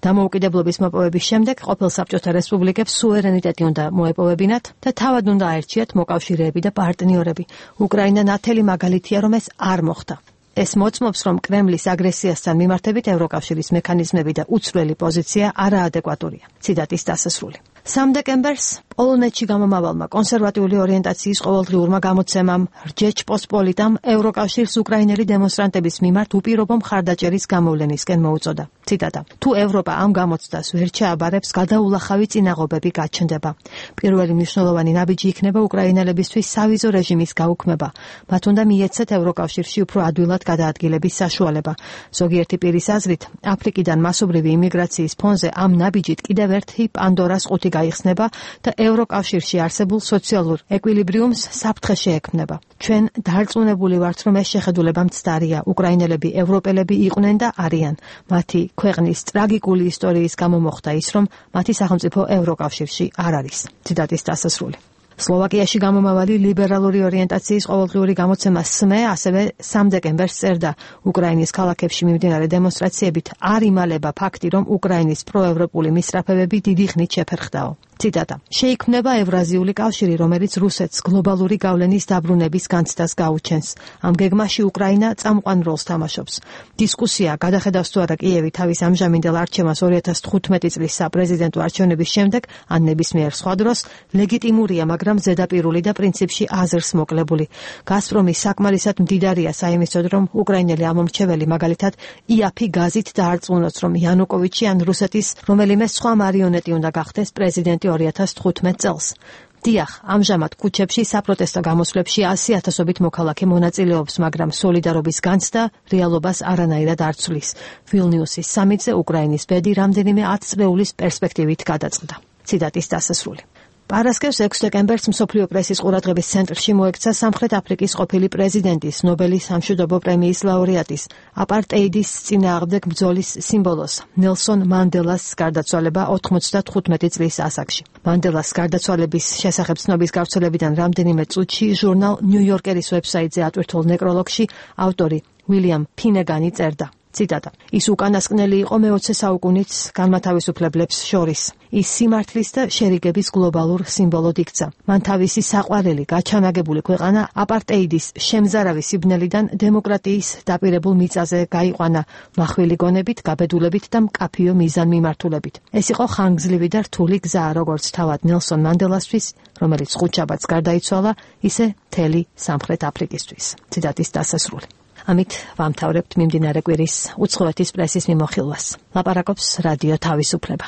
დამოუკიდებლობის მოპოვების შემდეგ ყოფილ საბჭოთა რესპუბლიკებს სუვერენიტეტი უნდა მოეპოვებინათ და თავად უნდა აერჩიათ მოკავშირეები და პარტნიორები. უკრაინა ნათელი მაგალითია, რომ ეს არ მოხდა. ეს მოწმობს, რომ კრემლის აგრესიასთან მიმართებით ევროკავშირის მექანიზმები და უცვლელი პოზიცია არაადეკვატურია. ციტატის დასასრული. 3 დეკემბერს პოლონეთში გამომავალმა კონსერვატიული ორიენტაციის ყოველდღიურმა გამოცემამ რჯეჩპოსპოლიტამ ევროკავშირს უკრაინელი დემონსტრანტების მიმართ უპირობო მხარდაჭერის გამოვლენისკენ მოუწოდა. ციტატა: თუ ევროპა ამ გამოცდას ვერ ჩააბარებს, გადაულახავი წინაღობები გაჩნდება. პირველი მნიშვნელოვანი ნაბიჯი იქნება უკრაინელებისთვის სავიზო რეჟიმის გაუქმება. მათ უნდა მიეცეთ ევროკავშირში უფრო ადვილად გადაადგილების საშუალება. ზოგიერთი პირის აზრით, აფრიკიდან მასობრივი იმიგრაციის ფონზე ამ ნაბიჯით კიდევ ერთი პანდორას ყუთი გაიხსნება და ევროკავშირში არსებულ სოციალურ ეკვილიბრიუმს საფრთხე შეექმნება. ჩვენ დარწმუნებული ვართ, რომ ეს შეხედულება მცდარია. უკრაინელები ევროპელები იყვნენ და არიან. მათი ქვეყნის ტრაგიკული ისტორიის გამო მოხდა ის, რომ მათი სახელმწიფო ევროკავშირში არ არის. ციტატის დასასრული. სლოვაკიაში გამომავალი ლიბერალური ორიენტაციის ყოველდღიური გამოცემა SME ასევე 3 დეკემბერს წერდა: უკრაინის ქალაქებში მიმდინარე დემონსტრაციებით არ იმალება ფაქტი, რომ უკრაინის პროევროპული მისწრაფებები დიდი ხნით შეფერხდაო. ციტატა: შეიქმნება ევრაზიული კავშირი, რომელიც რუსეთს გლობალური გავლენის დაბრუნების განცდას გაუჩენს. ამ გეგმაში უკრაინა წამყვან როლს თამაშობს. დისკუსია გადახედავს თუ არა კიევი თავის ამჟამინდელ არჩევანს 2015 წლის საპრეზიდენტო არჩევნების შემდეგ ან ნებისმიერ სხვა დროს ლეგიტიმურია, მაგრამ ზედაპირული და პრინციპში აზრს მოკლებული. გაზპრომი საკმარისად მდიდარია საიმისოდ, რომ უკრაინელი ამომრჩეველი მაგალითად იაფი გაზით დაარწმუნოს, რომ იანუკოვიჩი ან რუსეთის რომელიმე სხვა მარიონეტი უნდა გახდეს პრეზიდენტი 2015 წელს. დიახ, ამჟამად ქუჩებში საპროტესტო გამოსვლებში 100,000-ობით მოქალაქე მონაწილეობს, მაგრამ სოლიდარობის განცდა რეალობას არანაირად არ ცვლის. ვილნიუსის სამიტზე უკრაინის ბედი რამდენიმე 10 წლეულის პერსპექტივით გადაწყდა. ციტატის დასასრული. პარასკევს 6 დეკემბერს მსოფლიო პრესის ყურადღების ცენტრში მოექცა სამხრეთ აფრიკის ყოფილი პრეზიდენტის, ნობელის სამშვიდობო პრემიის ლაურეატის, აპარტეიდის წინააღმდეგ ბრძოლის სიმბოლოს, ნელსონ მანდელას გარდაცვალება 95 წლის ასაკში. მანდელას გარდაცვალების შესახებ ცნობის გავრცელებიდან რამდენიმე წუთში ჟურნალ ნიუ-იორკერის ვებსაიტზე ატვირთულ ნეკროლოგში ავტორი უილიამ ფინეგანი წერდა: ციტატა: ის უკანასკნელი იყო მე-20 საუკუნის განმათავისუფლებლებს შორის. ის სიმართლის და შერიგების გლობალურ სიმბოლოდ იქცა. მან თავისი საყვარელი გაჩანაგებული ქვეყანა აპარტეიდის შემზარავი სიბნელიდან დემოკრატიის დაპირებულ მიწაზე გაიყვანა მახვილი გონებით, გაბედულებით და მკაფიო მიზანმიმართულებით. ეს იყო ხანგრძლივი და რთული გზა, როგორც თავად ნელსონ მანდელასთვის, რომელიც ხუთშაბათს გარდაიცვალა, ისე მთელი სამხრეთ აფრიკისთვის. ციტატის დასასრული. ამით ვამთავრებთ მიმდინარე კვირის უცხოეთის პრესის მიმოხილვას. ლაპარაკობს რადიო თავისუფლება.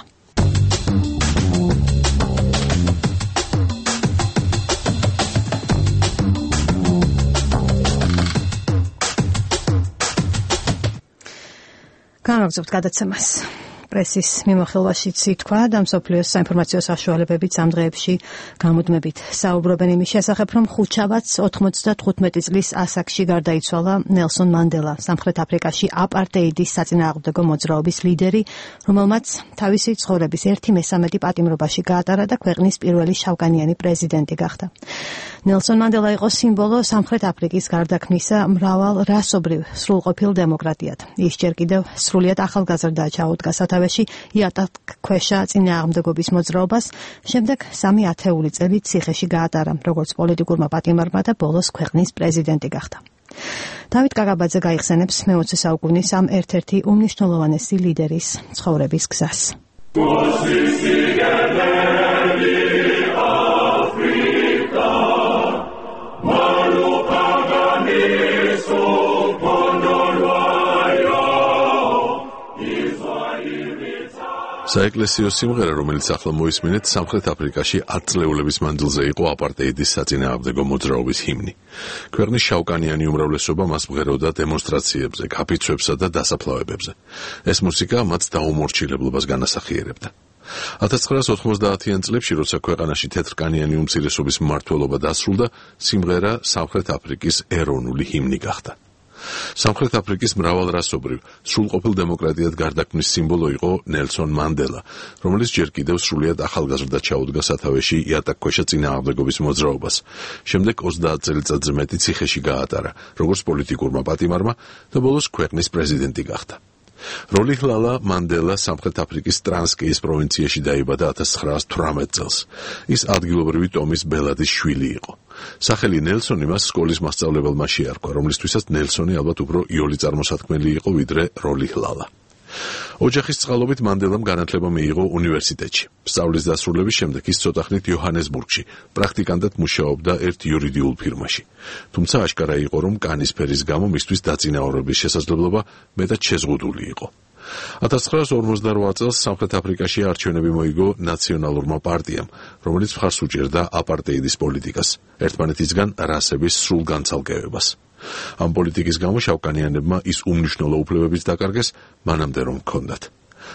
განაგზობთ გადაცემას. პრესის მიმოხილვაშიც ითქვა და მსოფლიოს საინფორმაციო საშუალებებიც ამ დღეებში გამუდმებით საუბრობენ იმის შესახებ, რომ ხუთშაბათს 95 წლის ასაკში გარდაიცვალა ნელსონ მანდელა, სამხრეთ აფრიკაში აპარტეიდის საწინააღმდეგო მოძრაობის ლიდერი, რომელმაც თავისი ცხოვრების 1/3 პატიმრობაში გაატარა და ქვეყნის პირველი შავკანიანი პრეზიდენტი გახდა. ნელსონ მანდელა იყო სიმბოლო სამხრეთ აფრიკის გარდაქმნისა მრავალ რასობრივ სრულყოფილ დემოკრატიად. ის ჯერ კიდევ სრულიად ახალგაზრდა ჩაუდგა სათავეში იატაკქვეშა წინააღმდეგობის მოძრაობას, შემდეგ 3 ათეული წელი ციხეში გაატარა, როგორც პოლიტიკურმა პატიმარმა და ბოლოს ქვეყნის პრეზიდენტი გახდა. დავით კაკაბაძე გაიხსენებს მე-20 საუკუნის ამ ერთ-ერთი უმნიშვნელოვანესი ლიდერის ცხოვრების გზას.
საეკლესიო სიმღერა, რომელიც ახლა მოისმინეთ, სამხრეთ აფრიკაში 10 წლეულების მანძილზე იყო აპარტეიდის საწინააღმდეგო მოძრაობის ჰიმნი. ქვეყნის შავკანიანი უმრავლესობა მას მღეროდა დემონსტრაციებზე, კაფიცვებსა და დასაფლავებებზე. ეს მუსიკა მათ დაუმორჩილებლობას განასახიერებდა. 1990-იან წლებში, როცა ქვეყანაში თეთრკანიანი უმცირესობის მმართველობა დასრულდა, სიმღერა სამხრეთ აფრიკის ეროვნული ჰიმნი გახდა. სამხრეთ აფრიკის მრავალრასობრივ სრულყოფილ დემოკრატიად გარდაქმნის სიმბოლო იყო ნელსონ მანდელა, რომელიც ჯერ კიდევ სრულიად ახალგაზრდა ჩაუდგა სათავეში იატაკქვეშა წინააღმდეგობის მოძრაობას. შემდეგ 30 წელიწადზე მეტი ციხეში გაატარა, როგორც პოლიტიკურმა პატიმარმა და ბოლოს ქვეყნის პრეზიდენტი გახდა. როლიხლალა მანდელა სამხრეთ აფრიკის ტრანსკეის პროვინციაში დაიბადა 1918 წელს. ის ადგილობრივი ტომის ბელადის შვილი იყო. სახელი ნელსონი მას სკოლის მასწავლებელმა შეარქვა, რომლისთვისაც ნელსონი ალბათ უფრო იოლი წარმოსათქმელი იყო, ვიდრე როლიხლალა. ოჯახის წყალობით მანდელამ განათლება მიიღო უნივერსიტეტში. სწავლის დასრულების შემდეგ ის ცოტახნით იოჰანესბურგში პრაქტიკანტად მუშაობდა ერთ იურიდიულ ფირმაში. თუმცა აშკარა იყო, რომ კანის ფერის გამო მისთვის დაწინაურების შესაძლებლობა მეტად შეზღუდული იყო. 1958 წელს სამხრეთ აფრიკაში არჩევნები მოიგო ნაციონალურმა პარტიამ, რომელიც მხარს უჭერდა აპარტეიდის პოლიტიკას, ერთმანეთისგან რასების სრულ განცალკევებას. ამ პოლიტიკის გამო შავკანიანებმა ის უმნიშვნელო უფლებებიც დაკარგეს, მანამდე რომ ჰქონდათ.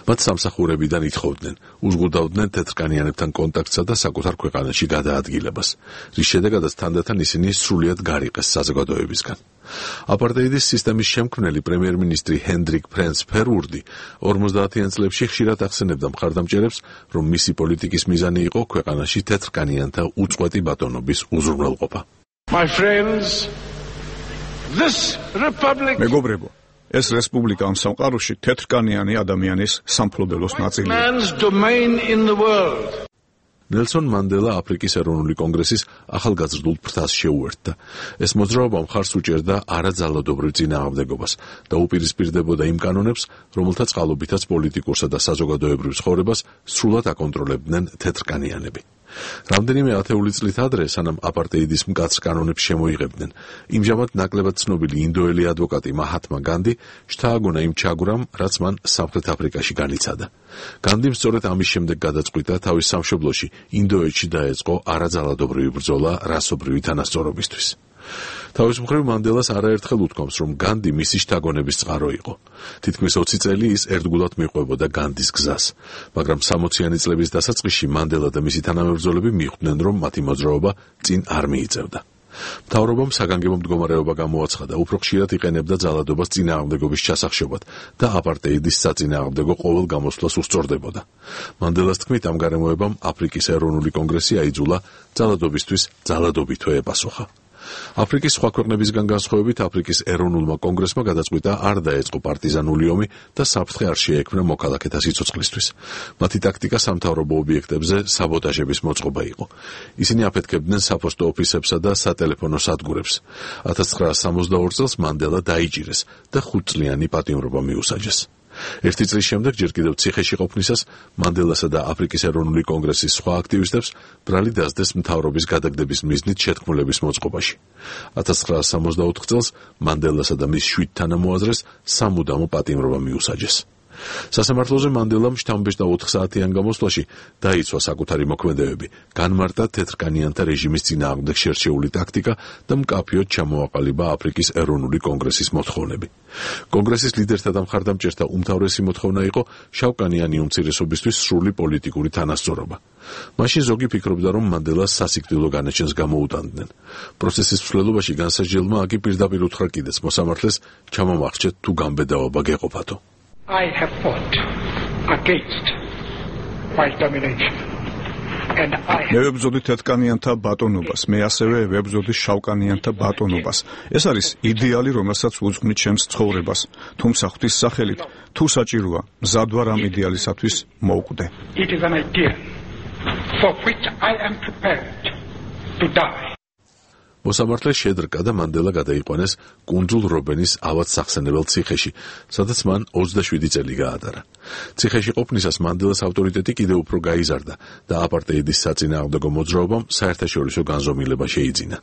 მათ სამსახურებიდან ითხოვდნენ, უზღუდავდნენ თეთრკანიანებთან კონტაქტსა და საკუთარ ქვეყანაში გადაადგილებას, რის შედეგადაც თანდათან ისინი სრულიად გარიყეს საზოგადოებისგან. აპარტეიდის სისტემის შემქმნელი პრემიერ-მინისტრი ჰენდრიკ ფრენს ფერვურდი 50-იან წლებში ხშირად ახსენებდა მხარდამჭერებს, რომ მისი პოლიტიკის მიზანი იყო ქვეყანაში თეთრკანიანთა უწყვეტი ბატონობის უზრუნველყოფა.
მეგობრებო, ეს რესპუბლიკა ამ სამყაროში თეთრკანიანი ადამიანის სამფლობელოს ნაწილია.
ნელსონ მანდელა აფრიკის ეროვნული კონგრესის ახალგაზრდულ ფრთას შეუერთდა. ეს მოძრაობა მხარს უჭერდა არაძალადობრივ წინააღმდეგობას და უპირისპირდებოდა იმ კანონებს, რომელთა წყალობითაც პოლიტიკურსა და საზოგადოებრივ ცხოვრებას სრულად აკონტროლებდნენ თეთრკანიანები. რამდენიმე ათეული წლით ადრე, სანამ აპარტეიდის მკაცრ კანონებს შემოიღებდნენ, იმჟამად ნაკლებად ცნობილი ინდოელი ადვოკატი მაჰათმა განდი შთააგონა იმ ჩაგვრამ, რაც მან სამხრეთ აფრიკაში განიცადა. განდიმ სწორედ ამის შემდეგ გადაწყვიტა თავის სამშობლოში, ინდოეთში დაეწყო არაძალადობრივი ბრძოლა რასობრივი თანასწორობისთვის. თავის მხრივ მანდელას არაერთხელ უთქვამს, რომ განდი მისი შთაგონების წყარო იყო. თითქმის 20 წელი ის ერთგულად მიყვებოდა განდის გზას, მაგრამ 60-იანი წლების დასაწყისში მანდელა და მისი თანამებრძოლები მიხვდნენ, რომ მათი მოძრაობა წინ არ მიიწევდა. მთავრობამ საგანგებო მდგომარეობა გამოაცხადა, უფრო ხშირად იყენებდა ძალადობას წინააღმდეგობის ჩასახშობად და აპარტეიდის საწინააღმდეგო ყოველ გამოსვლას უსწორდებოდა. მანდელას თქმით, ამ გარემოებამ აფრიკის ეროვნული კონგრესი აიძულა ძალადობისთვის ძალადობითო ეპასუხა. აფრიკის სხვა ქვეყნებისგან განსხვავებით აფრიკის ეროვნულმა კონგრესმა გადაწყვიტა არ დაეწყო პარტიზანული ომი და საფრთხე არ შეექმნა მოქალაქეთა სიცოცხლისთვის. მათი ტაქტიკა სამთავრობო ობიექტებზე საბოტაჟების მოწყობა იყო. ისინი აფეთქებდნენ საფოსტო ოფისებსა და სატელეფონო სადგურებს. 1962 წელს მანდელა დაიჭირეს და 5 წლიანი პატიმრობა მიუსაჯეს. ერთი წლის შემდეგ ჯერ კიდევ ციხეში ყოფნისას მანდელასა და აფრიკის ეროვნული კონგრესის სხვა აქტივისტებს ბრალი დასდეს მთავრობის გადაგდების მიზნით შეთქმულების მოწყობაში. 1964 წელს მანდელასა და მის 7 თანამოაზრეს სამუდამო პატიმრობა მიუსაჯეს. სასამართლოზე მანდელამ შთამბეჭდა 4 საათიან გამოსვლაში დაიცვა საკუთარი მოქმედებები, განმარტა თეთრკანიანთა რეჟიმის წინააღმდეგ შერჩეული ტაქტიკა და მკაფიოდ ჩამოაყალიბა აფრიკის ეროვნული კონგრესის მოთხოვნები. კონგრესის ლიდერთა და მხარდამჭერთა უმთავრესი მოთხოვნა იყო შავკანიანი უმცირესობისთვის სრული პოლიტიკური თანასწორობა. მაშინ ზოგი ფიქრობდა, რომ მანდელას სასიკვდილო განაჩენს გამოუტანდნენ. პროცესის მსვლელობაში განსაჯელმა აკი პირდაპირ უთხრა კიდეც მოსამართლეს ჩამომახჩეთ თუ გამბედაობა გეყოფათო.
I have fought against white domination.
მე ვებრძოდი თეთრკანიანთა ბატონობას, მე ასევე ვებრძოდი შავკანიანთა ბატონობას. ეს არის იდეალი, რომელსაც უძღვნი ჩემს ცხოვრებას. თუმცა ღვთის სახელით, თუ საჭიროა, მზად ვარ ამ იდეალისათვის მოვკვდე.
It is an idea for which I am prepared to die.
მოსამართლე შედრკა და მანდელა გადაიყვანეს კუნძულ რობენის ავად სახსენებელ ციხეში, სადაც მან 27 წელი გაატარა. ციხეში ყოფნისას მანდელას ავტორიტეტი კიდევ უფრო გაიზარდა და აპარტეიდის საწინააღმდეგო მოძრაობამ საერთაშორისო განზომილება შეიძინა.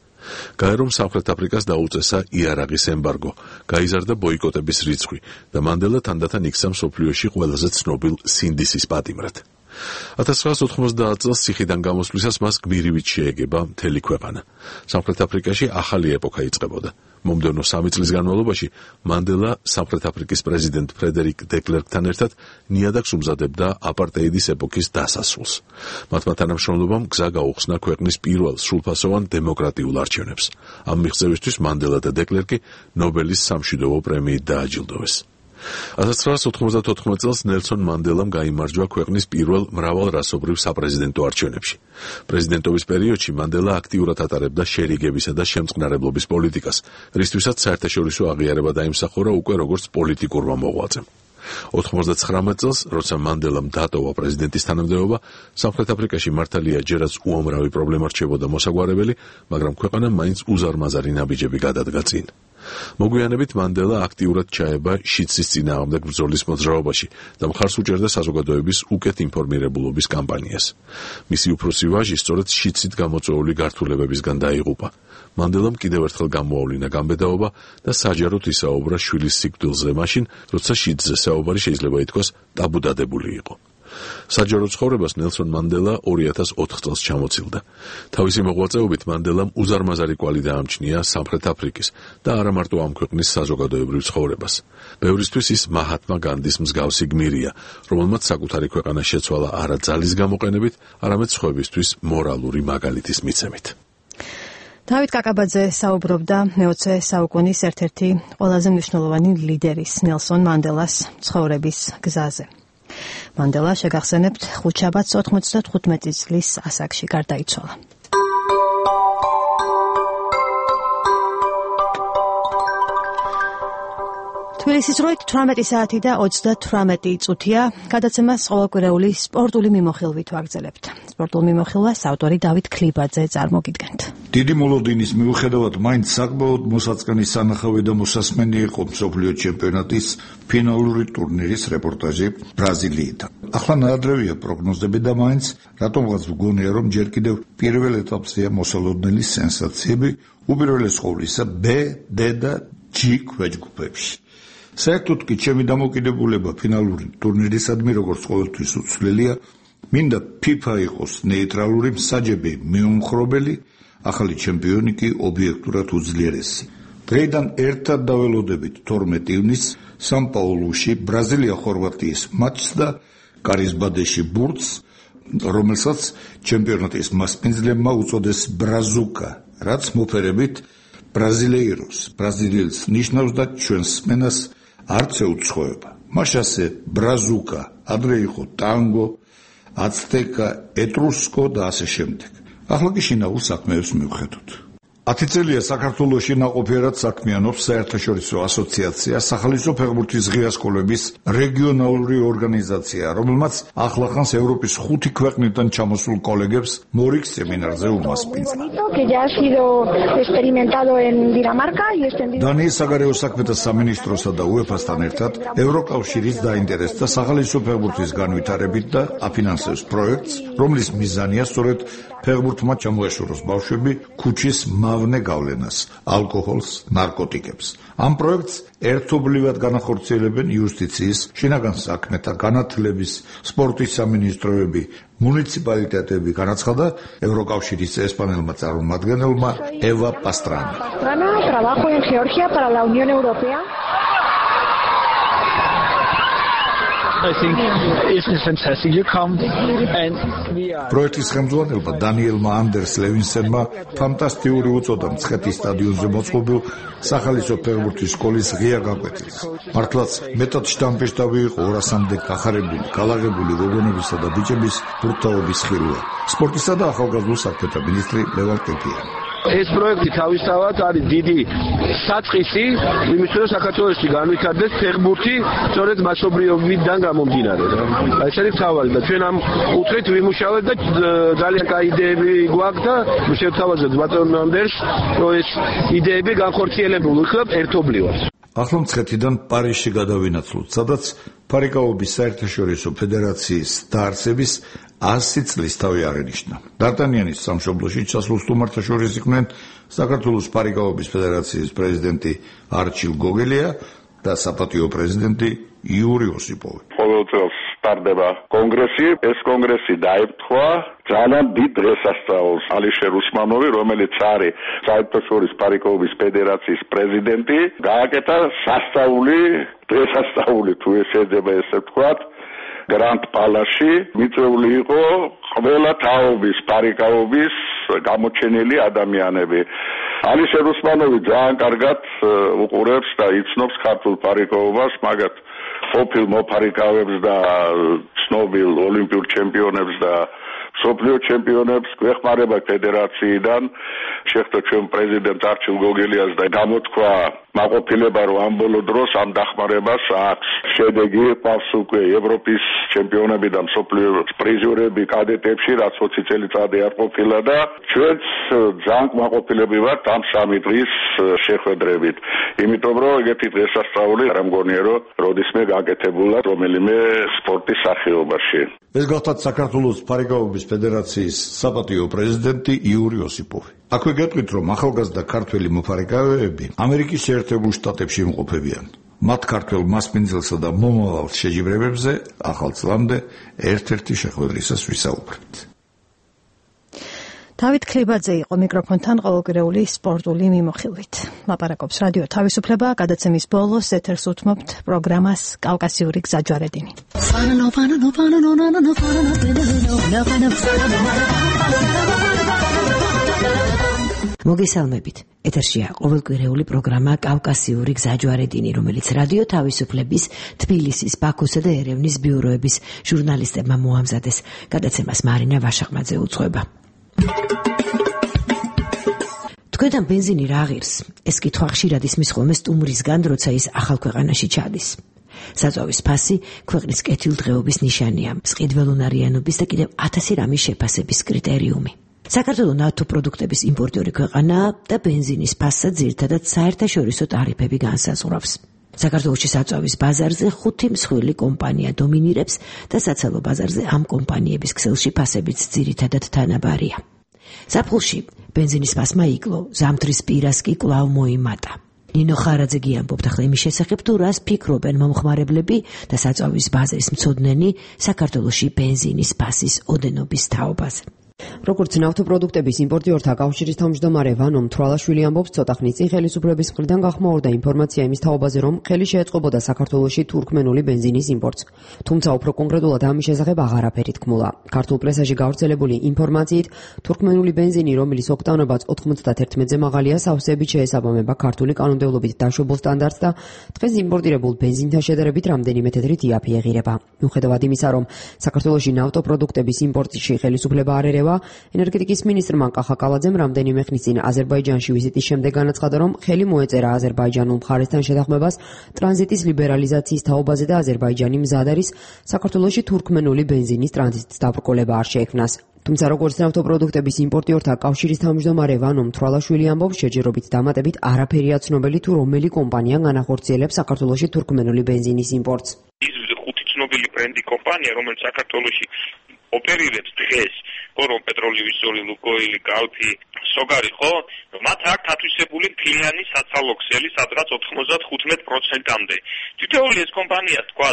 გაერომ სამხრეთ აფრიკას დაუწესა იარაღის ემბარგო, გაიზარდა ბოიკოტების რიცხვი და მანდელა თანდათან იქცა მსოფლიოში ყველაზე ცნობილ სინდისის პატიმრად. 1990 წელს ციხიდან გამოსვლისას მას გმირივით შეეგება მთელი ქვეყანა. სამხრეთ აფრიკაში ახალი ეპოქა იწყებოდა. მომდევნო 3 წლის განმავლობაში მანდელა სამხრეთ აფრიკის პრეზიდენტ ფრედერიკ დეკლერკთან ერთად ნიადაგს უმზადებდა აპარტეიდის ეპოქის დასასრულს. მათმა თანამშრომლობამ გზა გაუხსნა ქვეყნის პირველ სრულფასოვან დემოკრატიულ არჩევნებს. ამ მიღწევისთვის მანდელა და დეკლერკი ნობელის სამშვიდობო პრემიით დააჯილდოვეს. 1994 წელს ნელსონ მანდელამ გაიმარჯვა ქვეყნის პირველ მრავალრასობრივ საპრეზიდენტო არჩევნებში. პრეზიდენტობის პერიოდში მანდელა აქტიურად ატარებდა შერიგებისა და შემწყნარებლობის პოლიტიკას, რისთვისაც საერთაშორისო აღიარება დაიმსახურა უკვე როგორც პოლიტიკურმა მოღვაწემ. 99 წელს, როცა მანდელამ დატოვა პრეზიდენტის თანამდებობა, სამხრეთ აფრიკაში მართალია ჯერაც უამრავი პრობლემა რჩებოდა მოსაგვარებელი, მაგრამ ქვეყანამ მაინც უზარმაზარი ნაბიჯები გადადგა წინ. მოგვიანებით მანდელა აქტიურად ჩაება შიცის წინააღმდეგ ბრძოლის მოძრაობაში და მხარს უჭერდა საზოგადოების უკეთ ინფორმირებულობის კამპანიას. მისი უფროსი ვაჟი სწორედ შიცით გამოწვეული გართულებებისგან დაიღუპა. მანდელამ კიდევ ერთხელ გამოავლინა გამბედაობა და საჯაროდ ისაუბრა შვილის სიკვდილზე მაშინ, როცა შიცზე საუბარი შეიძლება ითქვას ტაბუდადებული იყო. საჯარო ცხოვრებას ნელსონ მანდელა 2004 წელს ჩამოცილდა. თავისი მოღვაწეობით მანდელამ უზარმაზარი კვალი დაამჩნია სამხრეთ აფრიკის და არა მარტო ამ ქვეყნის საზოგადოებრივ ცხოვრებას. ბევრისთვის ის მაჰატმა განდის მსგავსი გმირია, რომელმაც საკუთარი ქვეყანა შეცვალა არა ძალის გამოყენებით, არამედ სხვებისთვის მორალური მაგალითის მიცემით.
დავით კაკაბაძე საუბრობდა მე-20 საუკუნის ერთ-ერთი ყველაზე მნიშვნელოვანი ლიდერის ნელსონ მანდელას ცხოვრების გზაზე. მანდელა შეგახსენებთ ხუთშაბათს 95 წლის ასაკში გარდაიცვალა. თბილისის დროით 18 საათი და 38 წუთია. გადაცემას ყოველკვირეული სპორტული მიმოხილვით ვაგრძელებთ. სპორტულ მიმოხილვას ავტორი დავით ქლიბაძე წარმოგიდგენთ.
დიდი მოლოდინის მიუხედავად მაინც საკმაოდ მოსაწყენი სანახავი და მოსასმენი იყო მსოფლიო ჩემპიონატის ფინალური ტურნირის რეპორტაჟი ბრაზილიიდან. ახლა ნაადრევია პროგნოზები და მაინც რატომღაც ვგონია, რომ ჯერ კიდევ პირველ ეტაპზეა მოსალოდნელი სენსაციები უპირველეს ყოვლისა B, D და G ქვეჯგუფებში. საერთოდ კი ჩემი დამოკიდებულება ფინალური ტურნირისადმი როგორც ყოველთვის უცვლელია, მინდა FIFA იყოს ნეიტრალური მსაჯები მიუმხრობელი, ახალი ჩემპიონი კი ობიექტურად უძლიერესი. დღეიდან ერთად დაველოდებით 12 ივნისს სან-პაულუში ბრაზილია-ხორვატიის მატჩს და კარიზბადეში ბურთს, რომელსაც ჩემპიონატის მასპინძლებმა უწოდეს ბრაზუკა, რაც მოფერებით ბრაზილეიროს, ბრაზილიელს ნიშნავს და ჩვენს სმენას არც ეუცხოება. მას ასე ბრაზუკა, ადრე იყო ტანგო, აცტეკა, ეტრუსკო და ასე შემდეგ. ახლა კი შინაურ საქმეებს მივხედოთ.
10 წელია საქართველოში ნაყოფიერად საქმიანობს საერთაშორისო ასოციაცია სახალისო ფეხბურთის ღია სკოლების რეგიონალური ორგანიზაცია, რომელმაც ახლახანს ევროპის 5 ქვეყნიდან ჩამოსულ კოლეგებს მორიგ სემინარზე უმასპინძლა. დანიის საგარეო საქმეთა სამინისტროსა და UEFA-სთან ერთად ევროკავშირის დაინტერესდა სახალისო ფეხბურთის განვითარებით და აფინანსებს პროექტს, რომლის მიზანია სწორედ ფეხბურთმა ჩამოეშოროს ბავშვები ქუჩის მავნე გავლენას, ალკოჰოლს, ნარკოტიკებს. ამ პროექტს ერთობლივად განახორციელებენ იუსტიციის, შინაგან საქმეთა, განათლების, სპორტის სამინისტროები, მუნიციპალიტეტები, განაცხადა ევროკავშირის ესპანელმა წარმომადგენელმა ევა პასტრანა. პროექტის ხელმძღვანელმა დანიელმა andersს ლევინსენმა ფანტასტიკური უწოდა მცხეთის სტადიონზე მოწყობილ სახალისო ფეხბურთის სკოლის ღია გაკვეთილს. მართლაც მეტად შტამპეშტავი იყო 200-მდე გახარებული, გალაღებული გოგონებისა და ბიჭების ბურთაობის ხილვა. სპორტისა და ახალგაზრდულ საქმეთა მინისტრი ლევან ტეპიანი.
ეს პროექტი თავისთავად არის დიდი საწყისი იმისთვის, რომ საქართველოში განვითარდეს ფეხბურთი სწორედ მასობრივობიდან გამომდინარე. ეს არის თავი და ჩვენ ამ კუთხით ვიმუშავებთ და ძალიან კაი იდეები გვაქვს და შევთავაზებთ ბატონ andersს, რომ ეს იდეები განხორციელებულ იქნება ერთობლივად.
ახლა მცხეთიდან პარიზში გადავინაცვლოთ, სადაც ფარიკაობის საერთაშორისო ფედერაციის დაარსების 100 წლის თავი აღინიშნა. დარტანიანის სამშობლოში ჩასულ სტუმართა შორის იყვნენ საქართველოს ფარიკაობის ფედერაციის პრეზიდენტი არჩილ გოგელია და საპატიო პრეზიდენტი იური ოსიპოვი.
ყოველ წელს ტარდება კონგრესი, ეს კონგრესი დაემთხვა ძალიან დიდ დღესასწაულს ალიშერ უსმანოვი, რომელიც არის საერთაშორისო ფარიკაობის ფედერაციის პრეზიდენტი, გააკეთა სასწაული, დღესასწაული თუ ესეძება ესე ვთქვათ, გრანდ პალასში მიწვეული იყო ყველა თაობის ფარიკაობის გამოჩენილი ადამიანები. ალიშერ უსმანოვი ძალიან კარგად უყურებს და იცნობს ქართულ ფარიკაობას, მაგათ ყოფილ მოფარიკავებს და ცნობილ ოლიმპიურ ჩემპიონებს და მსოფლიო ჩემპიონებს გვეხმარება ფედერაციიდან. შეხვდა ჩვენ პრეზიდენტ არჩილ გოგელიას და გამოთქვა მაყოფილება, რომ ამ ბოლო დროს ამ დახმარებას აქვს შედეგი. ყავს უკვე ევროპის ჩემპიონები და მსოფლიო პრიზიორები კადეტებში, რაც 20 წელიწადი არ ყოფილა და ჩვენც ძალიან მაყოფილები ვართ ამ 3 დღის შეხვედრებით. იმიტომ რომ ეგეთი დღესასწაული არ მგონია, რომ როდისმე გაკეთებულა რომელიმე სპორტის სახეობაში.
ეს გახლავთ საქართველოს ფარიკაობის ფედერაციის საპატიო პრეზიდენტი იური ოსიპოვი. აქვე გეტყვით, რომ ახალგაზრდა ქართველი მოფარიკავეები ამერიკის შეერთებულ შტატებში იმყოფებიან. მათ ქართველ მასპინძელსა და მომავალ შეჯიბრებებზე ახალ წლამდე ერთ-ერთი შეხვედრისას ვისაუბრებთ.
დავით ქლიბაძე იყო მიკროფონთან ყოველკვირეული სპორტული მიმოხილვით. ლაპარაკობს რადიო თავისუფლება, გადაცემის ბოლოს ეთერს უთმობთ პროგრამას კავკასიური გზაჯვარედინი.
მოგესალმებით. ეთერშია ყოველკვირეული პროგრამა კავკასიური გზაჯვარედინი, რომელიც რადიო თავისუფლების, თბილისის, ბაქოსა და ერევნის ბიუროების ჟურნალისტებმა მოამზადეს. გადაცემას მარინა ვაშაყმაძე უძღვება. თქვენთან ბენზინი რა ღირს? ეს კითხვა ხშირად ისმის ხოლმე სტუმრისგან, როცა ის ახალ ქვეყანაში ჩადის. საწვავის ფასი ქვეყნის კეთილდღეობის ნიშანია, მწყიდველონარიანობის და კიდევ 1000 რამის შეფასების კრიტერიუმი. საქართველოს ნავთობ პროდუქტების იმპორტიორი ქვეყანაა და ბენზინის ფასსაც ძირითადად საერთაშორისო ტარიფები განსაზღვრავს. საქართველოში საწვავის ბაზარზე 5 მსხვილი კომპანია დომინირებს და საცალო ბაზარზე ამ კომპანიების ქსელში ფასებიც ძირითადად თანაბარია. ზაფხულში ბენზინის ფასმა იკლო, ზამთრის პირას კი კვლავ მოიმატა. ნინო ხარაძე ამბობთ ახლა იმის შესახებ, თუ რას ფიქრობენ მომხმარებლები და საწვავის ბაზრის მცოდნენი საქართველოში ბენზინის ფასის ოდენობის თაობაზე.
როგორც ნავთობპროდუქტების იმპორტიორთა კავშირის თავმჯდომარე ვანო მთვრალაშვილი ამბობს, ცოტა ხნის წინ ხელისუფლების მხრიდან გახმაურდა ინფორმაცია იმის თაობაზე, რომ ხელი შეეწყობოდა საქართველოში თურქმენული ბენზინის იმპორტს. თუმცა უფრო კონკრეტულად ამის შესახებ აღარაფერი თქმულა. ქართულ პრესაში გავრცელებული ინფორმაციით, თურქმენული ბენზინი, რომელიც ოქტანობაც 91-ზე მაღალია, სავსებით შეესაბამება ქართული კანონმდებლობით დაშვებულ სტანდარტს და დღეს იმპორტირებულ ბენზინთან შედარებით რამდენიმე თეთრი თიაფი ეღირება. მიუხედავად იმისა, რომ საქართველოში ნავთობპროდუქტების იმპორტში ხელისუფლება არ ერევა ხდება. ენერგეტიკის მინისტრმა კახაკალაძემ რამდენიმე ხნის წინ აზერბაიჯანში ვიზიტის შემდეგ განაცხადა, რომ ხელი მოეწერა აზერბაიჯანულ მხარესთან შეთანხმებას ტრანზიტის ლიბერალიზაციის თაობაზე და აზერბაიჯანი მზად არის საქართველოში თურქმენული ბენზინის ტრანზიტის დაბრკოლება არ შეექმნას. თუმცა როგორც ნავთობპროდუქტების იმპორტიორთა კავშირის თავმჯდომარე ვანო მთვრალაშვილი ამბობს, შეჯერობით დამატებით არაფერია ცნობილი თუ რომელი კომპანია განახორციელებს საქართველოში თურქმენული ბენზინის იმპორტს.
ის ხუთი ცნობილი ბრენდი კომპანია, რომელიც საქართველოში ოპერირებს დღეს, რომ პეტროლიუმი, ლუკოილი, კალფი, სოგარი, ხო? მათ აქვს ათვისებული ფილიანი საცალო ქსელი, სადღაც 95%-მდე. თითოეული ეს კომპანია, თქვა,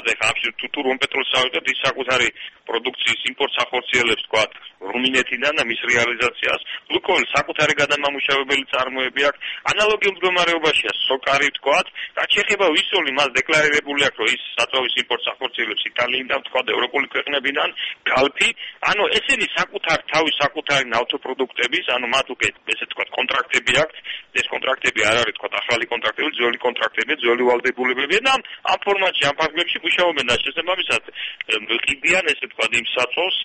თუ რომპეტროლს ავიდოთ, ის საკუთარი პროდუქციის იმპორტს ახორციელებს, თქვა, რუმინეთიდან და მის რეალიზაციას. ლუკოილ საკუთარი გადამამუშავებელი წარმოები აქვს. ანალოგიურ მდგომარეობაშია სოკარი, თქვა, რაც შეეხება ვისოლი, მას დეკლარირებული აქვს, რომ ის საწვავის იმპორტს ახორციელებს იტალიიდან, თქვა, ევროპული ქვეყნებიდან, კალფი, ანუ ესენი თავის საკუთარი ნავთობპროდუქტების, ანუ მათ უკვე ესე თქვა კონტრაქტები აქვს. ეს კონტრაქტები არ არის თქვა ახალი კონტრაქტები, ძველი კონტრაქტები, ძველი ვალდებულებები და ამ ფორმატში, ამ ფარგლებში მუშაობენ და შესაბამისად ყიდიან ესე თქვა იმ საწვავს,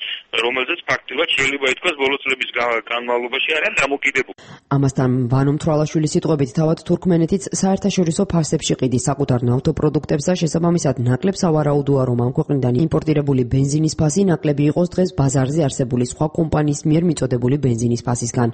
რომელზეც ფაქტიურად შეიძლება ითქვას ბოლო წლების განმავლობაში არიან დამოკიდებული.
ამასთან ვანო მთვრალაშვილის სიტყვებით თავად თურქმენეთიც საერთაშორისო ფასებში ყიდის საკუთარ ნავთობპროდუქტებს და შესაბამისად ნაკლებ სავარაუდოა, რომ ამ ქვეყნიდან იმპორტირებული ბენზინის ფასი ნაკლები იყოს დღეს ბაზარზე არსებული სხვა კომპანიის მიერ მიწოდებული ბენზინის ფასისგან.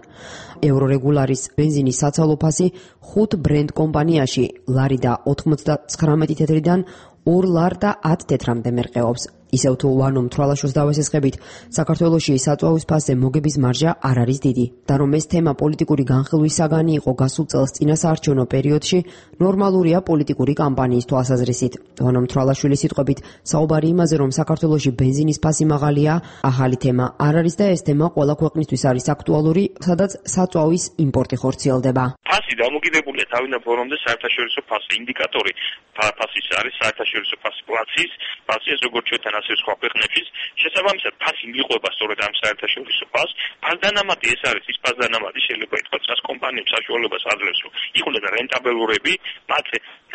ევრორეგულარის ბენზინის საცალო ფასი 5 ბრენდ კომპანიაში ლარი და 99 თეთრიდან 2 ლარ და 10 თეთრამდე მერყეობს. ისევ თუ ვანო მთვრალაშვილს დავესესხებით, საქართველოში საწვავის ფასზე მოგების მარჟა არ არის დიდი და რომ ეს თემა პოლიტიკური განხილვის საგანი იყო გასულ წელს წინასაარჩევნო პერიოდში, ნორმალურია პოლიტიკური კამპანიის თვალსაზრისით. ვანო მთვრალაშვილის სიტყვებით, საუბარი იმაზე, რომ საქართველოში ბენზინის ფასი მაღალია, ახალი თემა არ არის და ეს თემა ყველა ქვეყნისთვის არის აქტუალური, სადაც საწვავის იმპორტი ხორციელდება.
ფასი დამოკიდებულია თავიდან ფორმამდე საერთაშორისო ფასი, ინდიკატორი ფასის არის საერთაშორისო ფასი, პლაცის ფასი, როგორც ჩვენთან ასე სხვა ქვეყნებში. შესაბამისად, ფასი მიყვება სწორედ ამ საერთაშორისო ფასს. ფასდანამატი ეს არის ის ფასდანამატი, შეიძლება ითქვას, რაც კომპანიებს საშუალებას აძლევს, რომ იყვნენ რენტაბელურები, მათ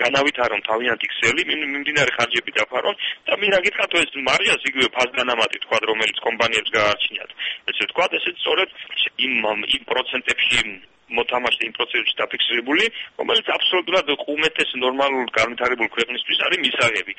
განავითარონ თავიანთი ქსელი, მიმდინარე ხარჯები დაფარონ და მინდა გითხრათ, ეს მარჟას იგივე ფასდანამატი თქვა, რომელიც კომპანიებს გააჩნიათ. ესე თქვა, ესე სწორედ იმ პროცენტებში მოთამაშე იმ პროცესში დაფიქსირებული, რომელიც აბსოლუტურად უმეტეს ნორმალურ განვითარებულ ქვეყნისთვის არის მისაღები.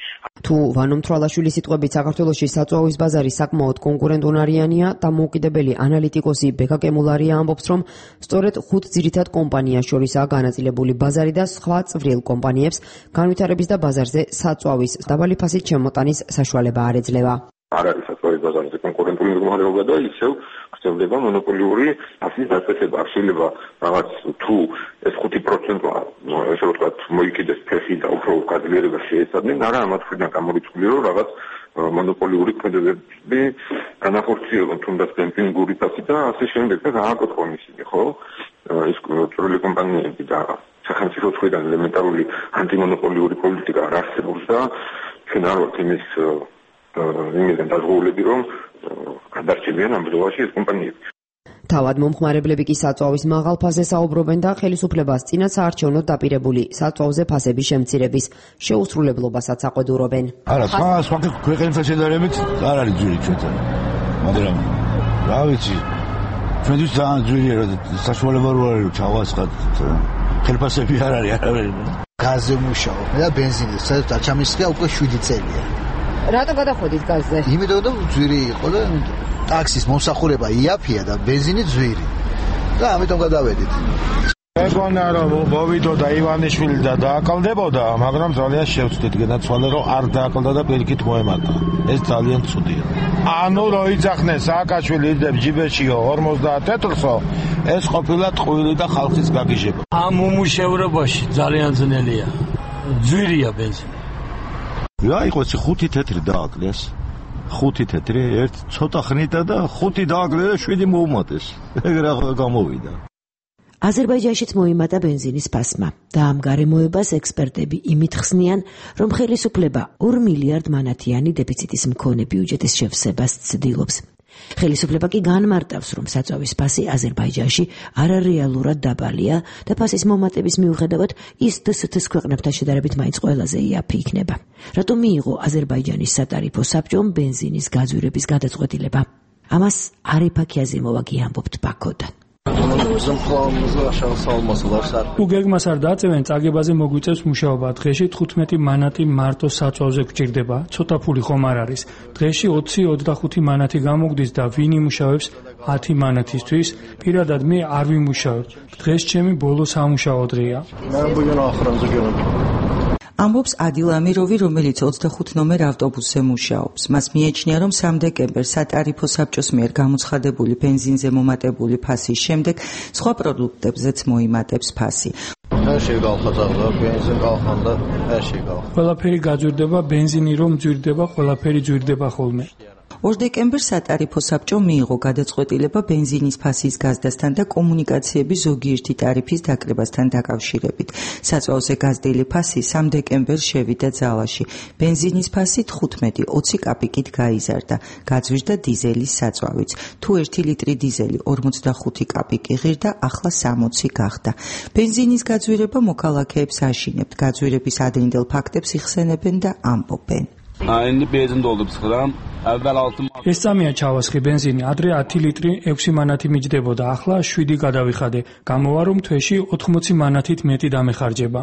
თუ ვანო მთვრალაშვილის სიტყვებით საქართველოში საწვავის ბაზარი საკმაოდ კონკურენტუნარიანია, დამოუკიდებელი ანალიტიკოსი ბექა კემულარია ამბობს, რომ სწორედ 5 ძირითად კომპანიას შორისაა განაწილებული ბაზარი და სხვა წვრილ კომპანიებს განვითარების და ბაზარზე საწვავის დაბალი ფასით შემოტანის საშუალება არ ეძლევა.
არ არის საწვავის ბაზარზე კონკურენტული მდგომარეობა და ისევ ხდება მონოპოლიური ფასის დაწესება. არ შეიძლება რაღაც თუ ეს 5%-ა, ესე ვთქვათ, მოიკიდეს ფეხი და უფრო გაძლიერება შეეცადნენ, არა ამათ მხრიდან გამორიცხული, რომ რაღაც მონოპოლიური ქმედებები განახორციელონ თუნდაც დემპინგური ფასი და ასე შემდეგ და გააკოთხონ ისინი, ხო? ის წვრილი კომპანიები და სახელმწიფო მხრიდან ელემენტარული ანტიმონოპოლიური პოლიტიკა არ არსებობს და ჩვენ არ ვართ იმიდან დაზღვეულები, რომ გადარჩებიან ამ ბრძოლაში ეს კომპანიები.
თავად მომხმარებლები კი საწვავის მაღალ ფასზე საუბრობენ და ხელისუფლებას წინასაარჩევნოდ დაპირებული საწვავზე ფასების შემცირების შეუსრულებლობასაც აყვედურობენ.
არა, სხვა ქვეყნებთან შედარებით არ არის ძვირი ჩვენთან. მაგრამ რა ვიცი, ჩვენთვის ძალიან ძვირია, რომ საშუალება რო არის, რომ ჩავასხათ ხელფასები არ არის არავინ.
გაზზე მუშაობ და ბენზინზე, სადაც აჩამისხია უკვე 7 წელია.
რატო გადახვედით გაზზე?
იმიტომ რომ ძვირი იყო და ტაქსის მომსახურება იაფია და ბენზინი ძვირი. და ამიტომ გადავედით.
მეგონა რომ მოვიდოდა ივანიშვილი და დააკლდებოდა, მაგრამ ძალიან შევწდით, განაცვალე რომ არ დააკლდა და პირიქით მოემატა. ეს ძალიან ცუდია. ანუ რო იძახნენ სააკაშვილი იძებს ჯიბეშიო 50 თეთრსო, ეს ყოფილა ტყუილი და ხალხის გაგიჟება.
ამ უმუშევრობაში ძალიან ძნელია. ძვირია ბენზინი.
რა იყოს 5 თეთრი დააკლეს? 5 თეთრი, ერთ ცოტა ხნიტა და 5 დააკლეს და 7 მოუმატეს. ეგრე გამოვიდა.
აზერბაიჯანშიც მოიმატა ბენზინის ფასმა და ამ გარემოებას ექსპერტები იმით ხსნიან, რომ ხელისუფლება 2 მილიარდ მანათიანი დეფიციტის მქონე ბიუჯეტის შევსებას ცდილობს. ხელისუფლება კი განმარტავს, რომ საწვავის ფასი აზერბაიჯანში არარეალურად დაბალია და ფასის მომატების მიუხედავად ის დსთ-ს ქვეყნებთან შედარებით მაინც ყველაზე იაფი იქნება. რატომ მიიღო აზერბაიჯანის სატარიფო საბჭომ ბენზინის გაძვირების გადაწყვეტილება? ამას არიფა ქიაზიმოვა გიამბობთ ბაქოდან.
თუ გეგმას არ დააწევენ, წაგებაზე მოგვიწევს მუშაობა. დღეში 15 მანატი მარტო საწვავზე გვჭირდება. ცოტა ფული ხომ არ არის. დღეში 20-25 მანატი გამოგვდის და ვინ იმუშავებს 10 მანატისთვის? პირადად მე არ ვიმუშავებ. დღეს ჩემი ბოლო სამუშაო დღეა.
ამბობს ადილ ამიროვი, რომელიც 25 ნომერ ავტობუსზე მუშაობს. მას მიეჩნია, რომ 3 დეკემბერს სატარიფო საბჭოს მიერ გამოცხადებული ბენზინზე მომატებული ფასის შემდეგ სხვა პროდუქტებზეც მოიმატებს ფასი.
ყველაფერი გაძვირდება, ბენზინი რომ ძვირდება, ყველაფერი ძვირდება ხოლმე.
2 დეკემბერს სატარიფო საბჭო მიიღო გადაწყვეტილება ბენზინის ფასის გაზრდასთან და კომუნიკაციების ზოგიერთი ტარიფის დაკრებასთან დაკავშირებით. საწვავზე გაზრდილი ფასი 3 დეკემბერს შევიდა ძალაში. ბენზინის ფასი 15-20 კაპიკით გაიზარდა. გაძვირდა დიზელის საწვავიც. თუ 1 ლიტრი დიზელი 45 კაპიკი ღირდა, ახლა 60 გახდა. ბენზინის გაძვირება მოქალაქეებს აშინებთ. გაძვირების ადრინდელ ფაქტებს იხსენებენ და ამბობენ.
ეს წამია ჩავასხი ბენზინი, ადრე 10 ლიტრი 6 მანათი მიჯდებოდა, ახლა 7 გადავიხადე. გამოვა რომ თვეში 80 მანათით მეტი დამეხარჯება.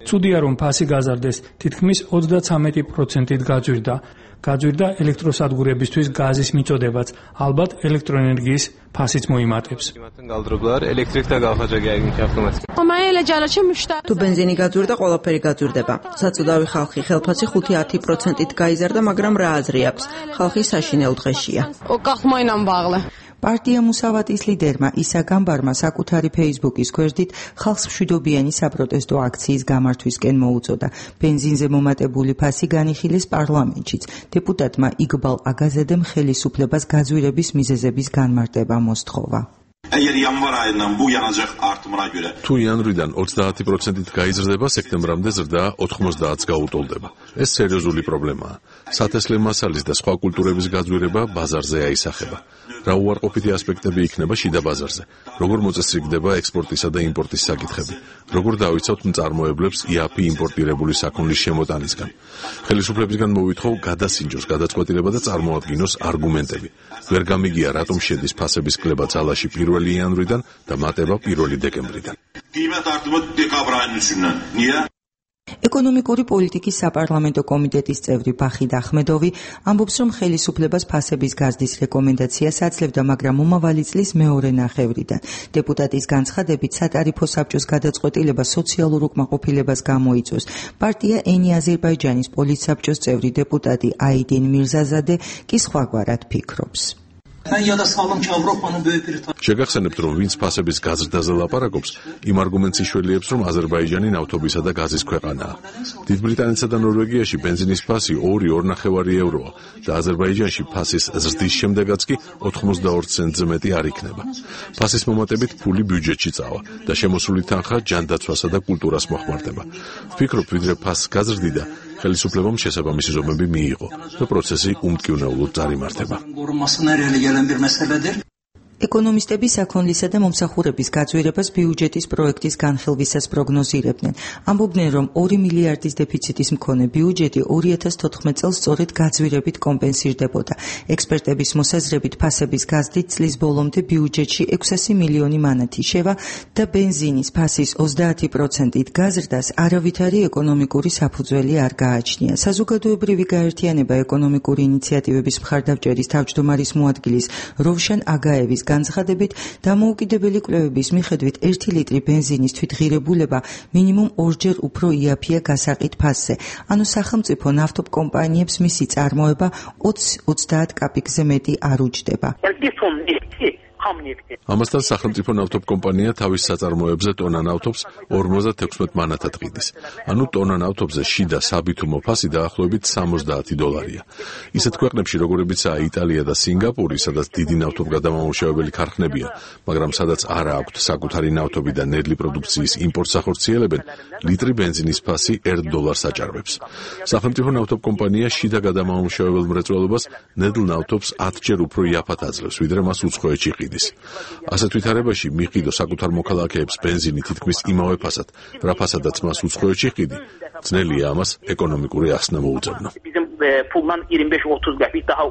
ცუდია რომ ფასი გაზარდეს, თითქმის 33%-ით გაძვირდა. გაძვირდა ელექტროსადგურებისთვის გაზის მიწოდებაც, ალბათ ელექტროენერგიის ფასიც მოიმატებს.
თუ ბენზინი გაძვირდა, ყველაფერი გაძვირდება. საწოდავი ხალხი ხელფასი 5-10%-ით გაიზარდა, მაგრამ რა აზრი აქვს? ხალხი საშინელ დღეშია.
პარტია მუსავატის ლიდერმა ისა გამბარმა საკუთარი ფეისბუქის გვერდით ხალხს მშვიდობიანი საპროტესტო აქციის გამართვისკენ მოუწოდა. ბენზინზე მომატებული ფასი განიხილეს პარლამენტშიც. დეპუტატმა იგბალ აგაზედემ ხელისუფლებას გაძვირების მიზეზების განმარტება მოსთხოვა.
თუ იანვრიდან 30%-ით გაიზრდება, სექტემბრამდე ზრდა 90-ს გაუტოლდება. ეს სერიოზული პრობლემაა. სათესლე მასალის და სხვა კულტურების გაძვირება ბაზარზე აისახება. რა უარყოფითი ასპექტები იქნება შიდა ბაზარზე? როგორ მოწესრიგდება ექსპორტისა და იმპორტის საკითხები? როგორ დავიცავთ მწარმოებლებს იაფი იმპორტირებული საქონლის შემოტანისგან? ხელისუფლებისგან მოვითხოვ გადასინჯოს გადაწყვეტილება და წარმოადგინოს არგუმენტები. ვერ გამიგია, რატომ შედის ფასების კლება ძალაში 1 იანვრიდან და მატება 1 დეკემბრიდან.
ეკონომიკური პოლიტიკის საპარლამენტო კომიტეტის წევრი ბახიდ ახმედოვი ამბობს, რომ ხელისუფლებას ფასების გაზრდის რეკომენდაციას აძლევდა, მაგრამ მომავალი წლის მეორე ნახევრიდან. დეპუტატის განცხადებით, სატარიფო საბჭოს გადაწყვეტილება სოციალურ უკმაყოფილებას გამოიწვევს. პარტია ენი აზერბაიჯანის პოლიტსაბჭოს წევრი დეპუტატი აიდინ მირზაზადე კი სხვაგვარად ფიქრობს.
შეგახსენებთ, რომ ვინც ფასების გაზრდაზე ლაპარაკობს, იმ არგუმენტს იშველიებს, რომ აზერბაიჯანი ნავთობისა და გაზის ქვეყანაა. დიდ ბრიტანეთსა და ნორვეგიაში ბენზინის ფასი 2-2.5 ევროა და აზერბაიჯანში ფასის ზრდის შემდეგაც კი 82 ცენტზე მეტი არ იქნება. ფასის მომატებით ფული ბიუჯეტში წავა და შემოსული თანხა ჯანდაცვასა და კულტურას მოხმარდება. ვფიქრობ, ვიდრე ფასს გაზრდიდა, ხელისუფლებამ შესაბამისი ზომები მიიღო და პროცესი უმტკივნეულოდ წარიმართება.
ეკონომისტები საქონლისა და მომსახურების გაძვირებას ბიუჯეტის პროექტის განხილვისას პროგნოზირებდნენ. ამბობდნენ, რომ 2 მილიარდის დეფიციტის მქონე ბიუჯეტი 2014 წელს სწორედ გაძვირებით კომპენსირდებოდა. ექსპერტების მოსაზრებით ფასების გაზრდით წლის ბოლომდე ბიუჯეტში 600 მილიონი მანათი შევა და ბენზინის ფასის 30%-ით გაზრდას არავითარი ეკონომიკური საფუძველი არ გააჩნია. საზოგადოებრივი გაერთიანება ეკონომიკური ინიციატივების მხარდამჭერის თავმჯდომარის მოადგილის როვშან აგაევის განცხადებით, დამოუკიდებელი კვლევების მიხედვით 1 ლიტრი ბენზინის თვითღირებულება მინიმუმ 2-ჯერ უფრო იაფია გასაყიდ ფასზე. ანუ სახელმწიფო ნავთობ კომპანიებს მისი წარმოება 20-30 კაპიკზე მეტი არ უჯდება.
ამასთან სახელმწიფო ნავთობ კომპანია თავის საწარმოებზე ტონა ნავთობს 56 მანათად ყიდის. ანუ ტონა ნავთობზე შიდა საბითუმო ფასი დაახლოებით $60. ისეთ ქვეყნებში, როგორებიცაა იტალია და სინგაპური, სადაც დიდი ნავთობგადამამუშავებელი ქარხნებია, მაგრამ სადაც არ აქვთ საკუთარი ნავთობი და ნედლი პროდუქციის იმპორტს ახორციელებენ, ლიტრი ბენზინის ფასი $1 აჭარბებს. სახელმწიფო ნავთობ კომპანია შიდა გადამამუშავებელ მრეწველობას ნედლ ნავთობს 10-ჯერ უფრო იაფად აძლევს, ვიდრე მას უცხოეთში ყიდის. ასეთ ვითარებაში მიყიდო საკუთარ მოქალაქეებს ბენზინი თითქმის იმავე ფასად, რა ფასადაც მას უცხოეთში ყიდი, ძნელია ამას ეკონომიკური ახსნა მოუწევნო.
puldan 25-30 qəpik daha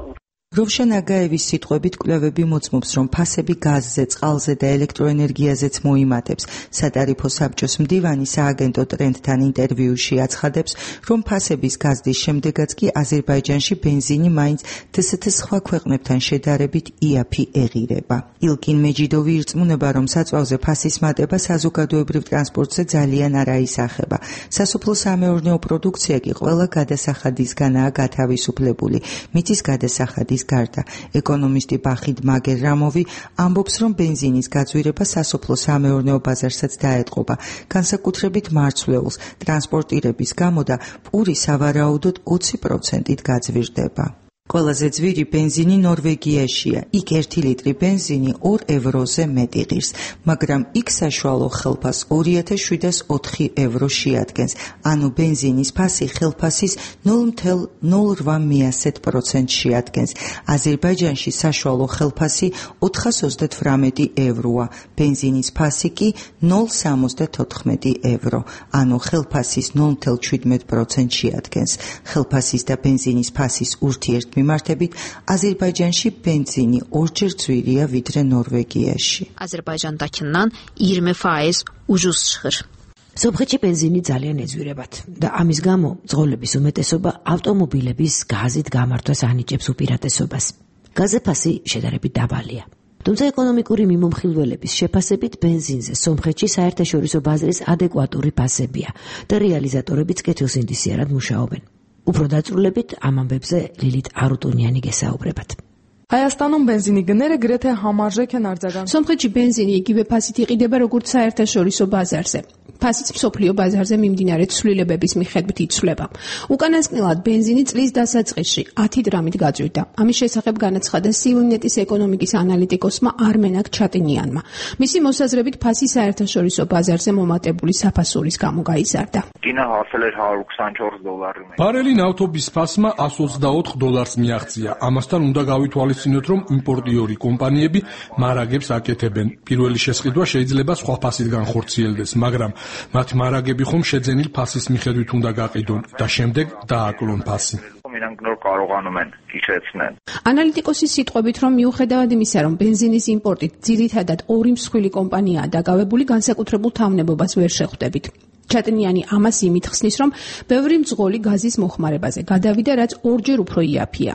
Rovşან Ագაევის სიტყვებით კვლევები მოწმობს, რომ ფასები გაზზე, წყალზე და ელექტროენერგიაზეც მოიმატებს. სატარიფო საბჭოს მდივანი სააგენტო ტრენდთან ინტერვიუში აცხადებს, რომ ფასების გაზდის შემდეგაც კი აზერბაიჯანში ბენზინი მაინც DST სხვა ქვეყნებთან შედარებით იაფი ეღირება. ილკინ მეჯიდოვი ირწმუნება, რომ საწვავზე ფასის მატება საზოგადოებრივ ტრანსპორტზე ძალიან არ აისახება. სასოფლო-სამეურნეო პროდუქცია კი ყველა გადასახადისგანაა გათავისუფლებული. მიწის გადასახადის გარდა ეკონომისტი ბახიდ მაგერამოვი ამბობს, რომ ბენზინის გაძვირება სასოფლო-სამეურნეო ბაზარსაც დაეტყობა, განსაკუთრებით მარცვლეულს, ტრანსპორტირების გამო და პური სავარაუდოდ 20%-ით გაძვირდება. ყველაზე ძვირი ბენზინი ნორვეგიაშია. იქ 1 ლიტრი ბენზინი 2 ევროზე მეტი ღირს, მაგრამ იქ საშუალო ხელფას 2704 евро შეადგენს. ანუ ბენზინის ფასი ხელფასის 0,08% შეადგენს. აზერბაიჯანში საშუალო ხელფასი 428 ევროა, ბენზინის ფასი კი 0,74 евро, ანუ ხელფასის 0,17% შეადგენს. ხელფასის და ბენზინის ფასის ურთიერთ მიმართებით აზერბაიჯანში ბენზინი 2-ჯერ ძვირია ვიდრე ნორვეგიაში.
Azərbaycandakından 20% ucuz çıxır.
სომხეთში ბენზინი ძალიან ეძვირებათ და ამის გამო ძღოლების უმეტესობა ავტომობილების გაზით გამართვას ანიჭებს უპირატესობას. გაზზე ფასი შედარებით დაბალია. თუმცა ეკონომიკური მიმომხილველების შეფასებით ბენზინზე სომხეთში საერთაშორისო ბაზრის ადეკვატური ფასებია და რეალიზატორებიც კეთილსინდისიერად მუშაობენ. უფრო დაწვრილებით ამ ამბებზე ლილით არუტუნიანი გესაუბრებათ.
Հայաստանում բենզինի գները գրեթե համարժեք են արձագանքել.
Սոմխեչի բենզինի იგივე ფასით იყიდება როგორც საერთაშორისო ბაზარზე. ფასიც მსოფლიო ბაზარზე მიმდინარე ცვლილებების მიხედვით იცვლება. უკანასკნელად ბენზინი წლის დასაწყისში 10 დრამით გაძვირდა. ამის შესახებ განაცხადა სიულნეტის ეკონომიკის ანალიტიკოსმა არმენაკ ჩატინიანმა. მისი მოსაზრებით ფასი საერთაშორისო ბაზარზე მომატებული საფასურის გამო გაიზარდა.
ბარელი ნავთობის ფასმა $124 მიაღწია. ამასთან უნდა გავითვალისწინოთ, რომ იმპორტიორი კომპანიები მარაგებს აკეთებენ. პირველი შესყიდვა შეიძლება სხვა ფასით განხორციელდეს, მაგრამ მათი მარაგები ხომ შეძენილ ფასის მიხედვით უნდა გაყიდონ და შემდეგ დააკლონ ფასი.
ანალიტიკოსის სიტყვებით, რომ მიუხედავად იმისა, რომ ბენზინის იმპორტით ძირითადად 2 მსხვილი კომპანიაა დაკავებული, განსაკუთრებულ თავნებობას ვერ შეხვდებით. ჩატინიანი ამას იმით ხსნის, რომ ბევრი მძღოლი გაზის მოხმარებაზე გადავიდა, რაც 2-ჯერ უფრო იაფია.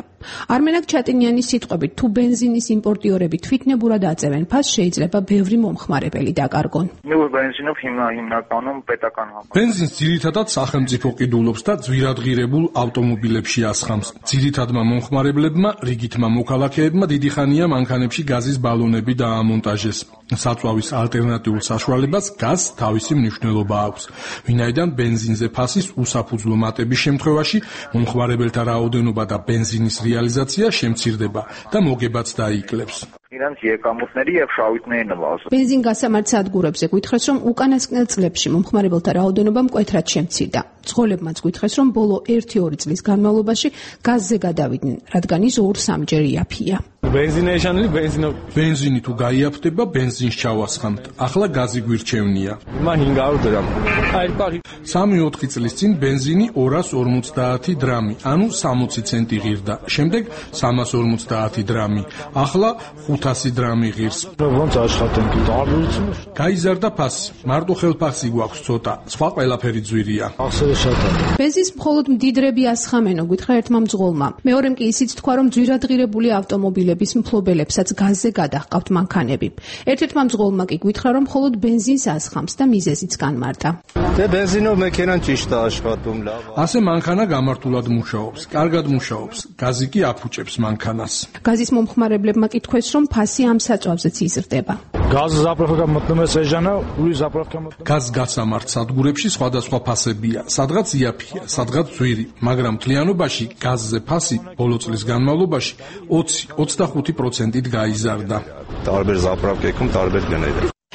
არმენაკ ჩატინიანის სიტყვებით, თუ ბენზინის იმპორტიორები თვითნებურად აწევენ ფასს, შეიძლება ბევრი მომხმარებელი დაკარგონ.
ბენზინს ძირითადად სახელმწიფო ყიდულობს და ძვირადღირებულ ავტომობილებში ასხამს. ძირითადმა მომხმარებლებმა, რიგითმა მოქალაქეებმა დიდი ხანია მანქანებში გაზის ბალონები დაამონტაჟეს. საწვავის ალტერნატიულ საშუალებას გაზს თავისი მნიშვნელობა აქვს. ვინაიდან ბენზინზე ფასის უსაფუძვლო მატების შემთხვევაში მომხმარებელთა რაოდენობა და ბენზინის რეალიზაცია შემცირდება და მოგებაც დაიკლებს.
ბენზინ გასამართ სადგურებზე გვითხრეს, რომ უკანასკნელ წლებში მომხმარებელთა რაოდენობა მკვეთრად შემცირდა. ძღოლებმაც გვითხრეს, რომ ბოლო 1-2 წლის განმავლობაში გაზზე გადავიდნენ, რადგან ის 2-3ჯერ იაფია.
ბენზინი თუ გაიაფდება, ბენზინს ჩავასხამთ. ახლა გაზი გვირჩევნია. 3-4 წლის წინ ბენზინი 250 დრამი, ანუ 60 ცენტი ღირდა. შემდეგ 350 დრამი. ახლა 500 დრამი ღირს. გაიზარდა ფასი. მარტო ხელფასი გვაქვს ცოტა, სხვა ყველაფერი ძვირია.
ბენზინს მხოლოდ მდიდრები ასხამენო, გითხრა ერთმა მძღოლმა. მეორემ კი ისიც თქვა, რომ ძვირადღირებული ავტომობილების მფლობელებსაც გაზზე გადაჰყავთ მანქანები. ერთ-ერთმა მძღოლმა კი გითხრა, რომ მხოლოდ ბენზინს ასხამს და მიზეზიც განმარტა.
ასე მანქანა გამართულად მუშაობს, კარგად მუშაობს. გაზი კი აფუჭებს მანქანას.
გაზის მომხმარებლებმა კი თქვეს, რომ ფასი ამ საწვავზეც იზრდება.
გაზ გასამართ სადგურებში სხვადასხვა ფასებია, სადღაც იაფია, სადღაც ძვირი, მაგრამ მთლიანობაში გაზზე ფასი ბოლო წლის განმავლობაში 20-25%-ით გაიზარდა.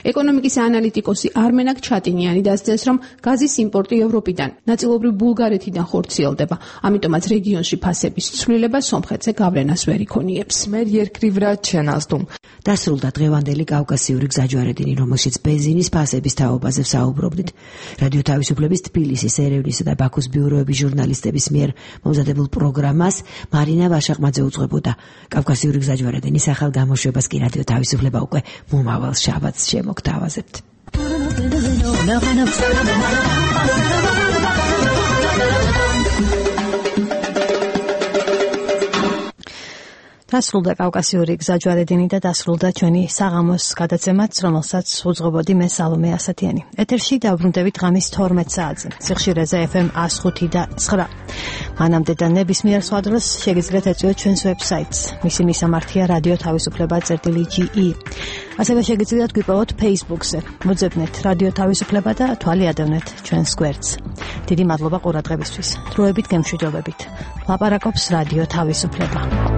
ეკონომიკის ანალიტიკოსი არმენაკ ჩატინიანი დასძენს, რომ გაზის იმპორტი ევროპიდან, ნაწილობრივ ბულგარეთიდან ხორციელდება, ამიტომაც რეგიონში ფასების ცვლილება სომხეთზე გავლენას ვერ იქონიებს.
მე երկրի վրա չեն ազդում.
დასრულდა დღევანდელი კავკასიური გზაჯვარედინი, რომელშიც ბენზინის ფასების თაობაზე ვსაუბრობდით. რადიო თავისუფლების თბილისის, ერევნისა და ბაქოს ბიუროების ჟურნალისტების მიერ მომზადებულ პროგრამას მარინა ვაშაყმაძე უძღვებოდა. კავკასიური გზაჯვარედინის ახალ გამოშვებას კი რადიო თავისუფლება უკვე მომავალ შაბათს შემოგთავაზებთ. დასრულდა კავკასიური გზაჯვარედინი და დასრულდა ჩვენი საღამოს გადაცემაც, რომელსაც უძღვებოდი მე სალომე ასათიანი. ეთერში დავბრუნდებით ღამის 12 საათზე. სიხშირეზე FM 105 და 9. მანამდე და ნებისმიერ სხვა დროს შეგიძლიათ ეწვიოთ ჩვენს ვებსაიტს. მისი მისამართია რადიო თავისუფლება.ge. ასევე შეგიძლიათ გვიპოვოთ Facebook-ზე. მოძებნეთ რადიო თავისუფლება და თვალი ადევნეთ ჩვენს გვერდს. დიდი მადლობა ყურადღებისთვის. დროებით გემშვიდობებით. ლაპარაკობს რადიო თავისუფლება.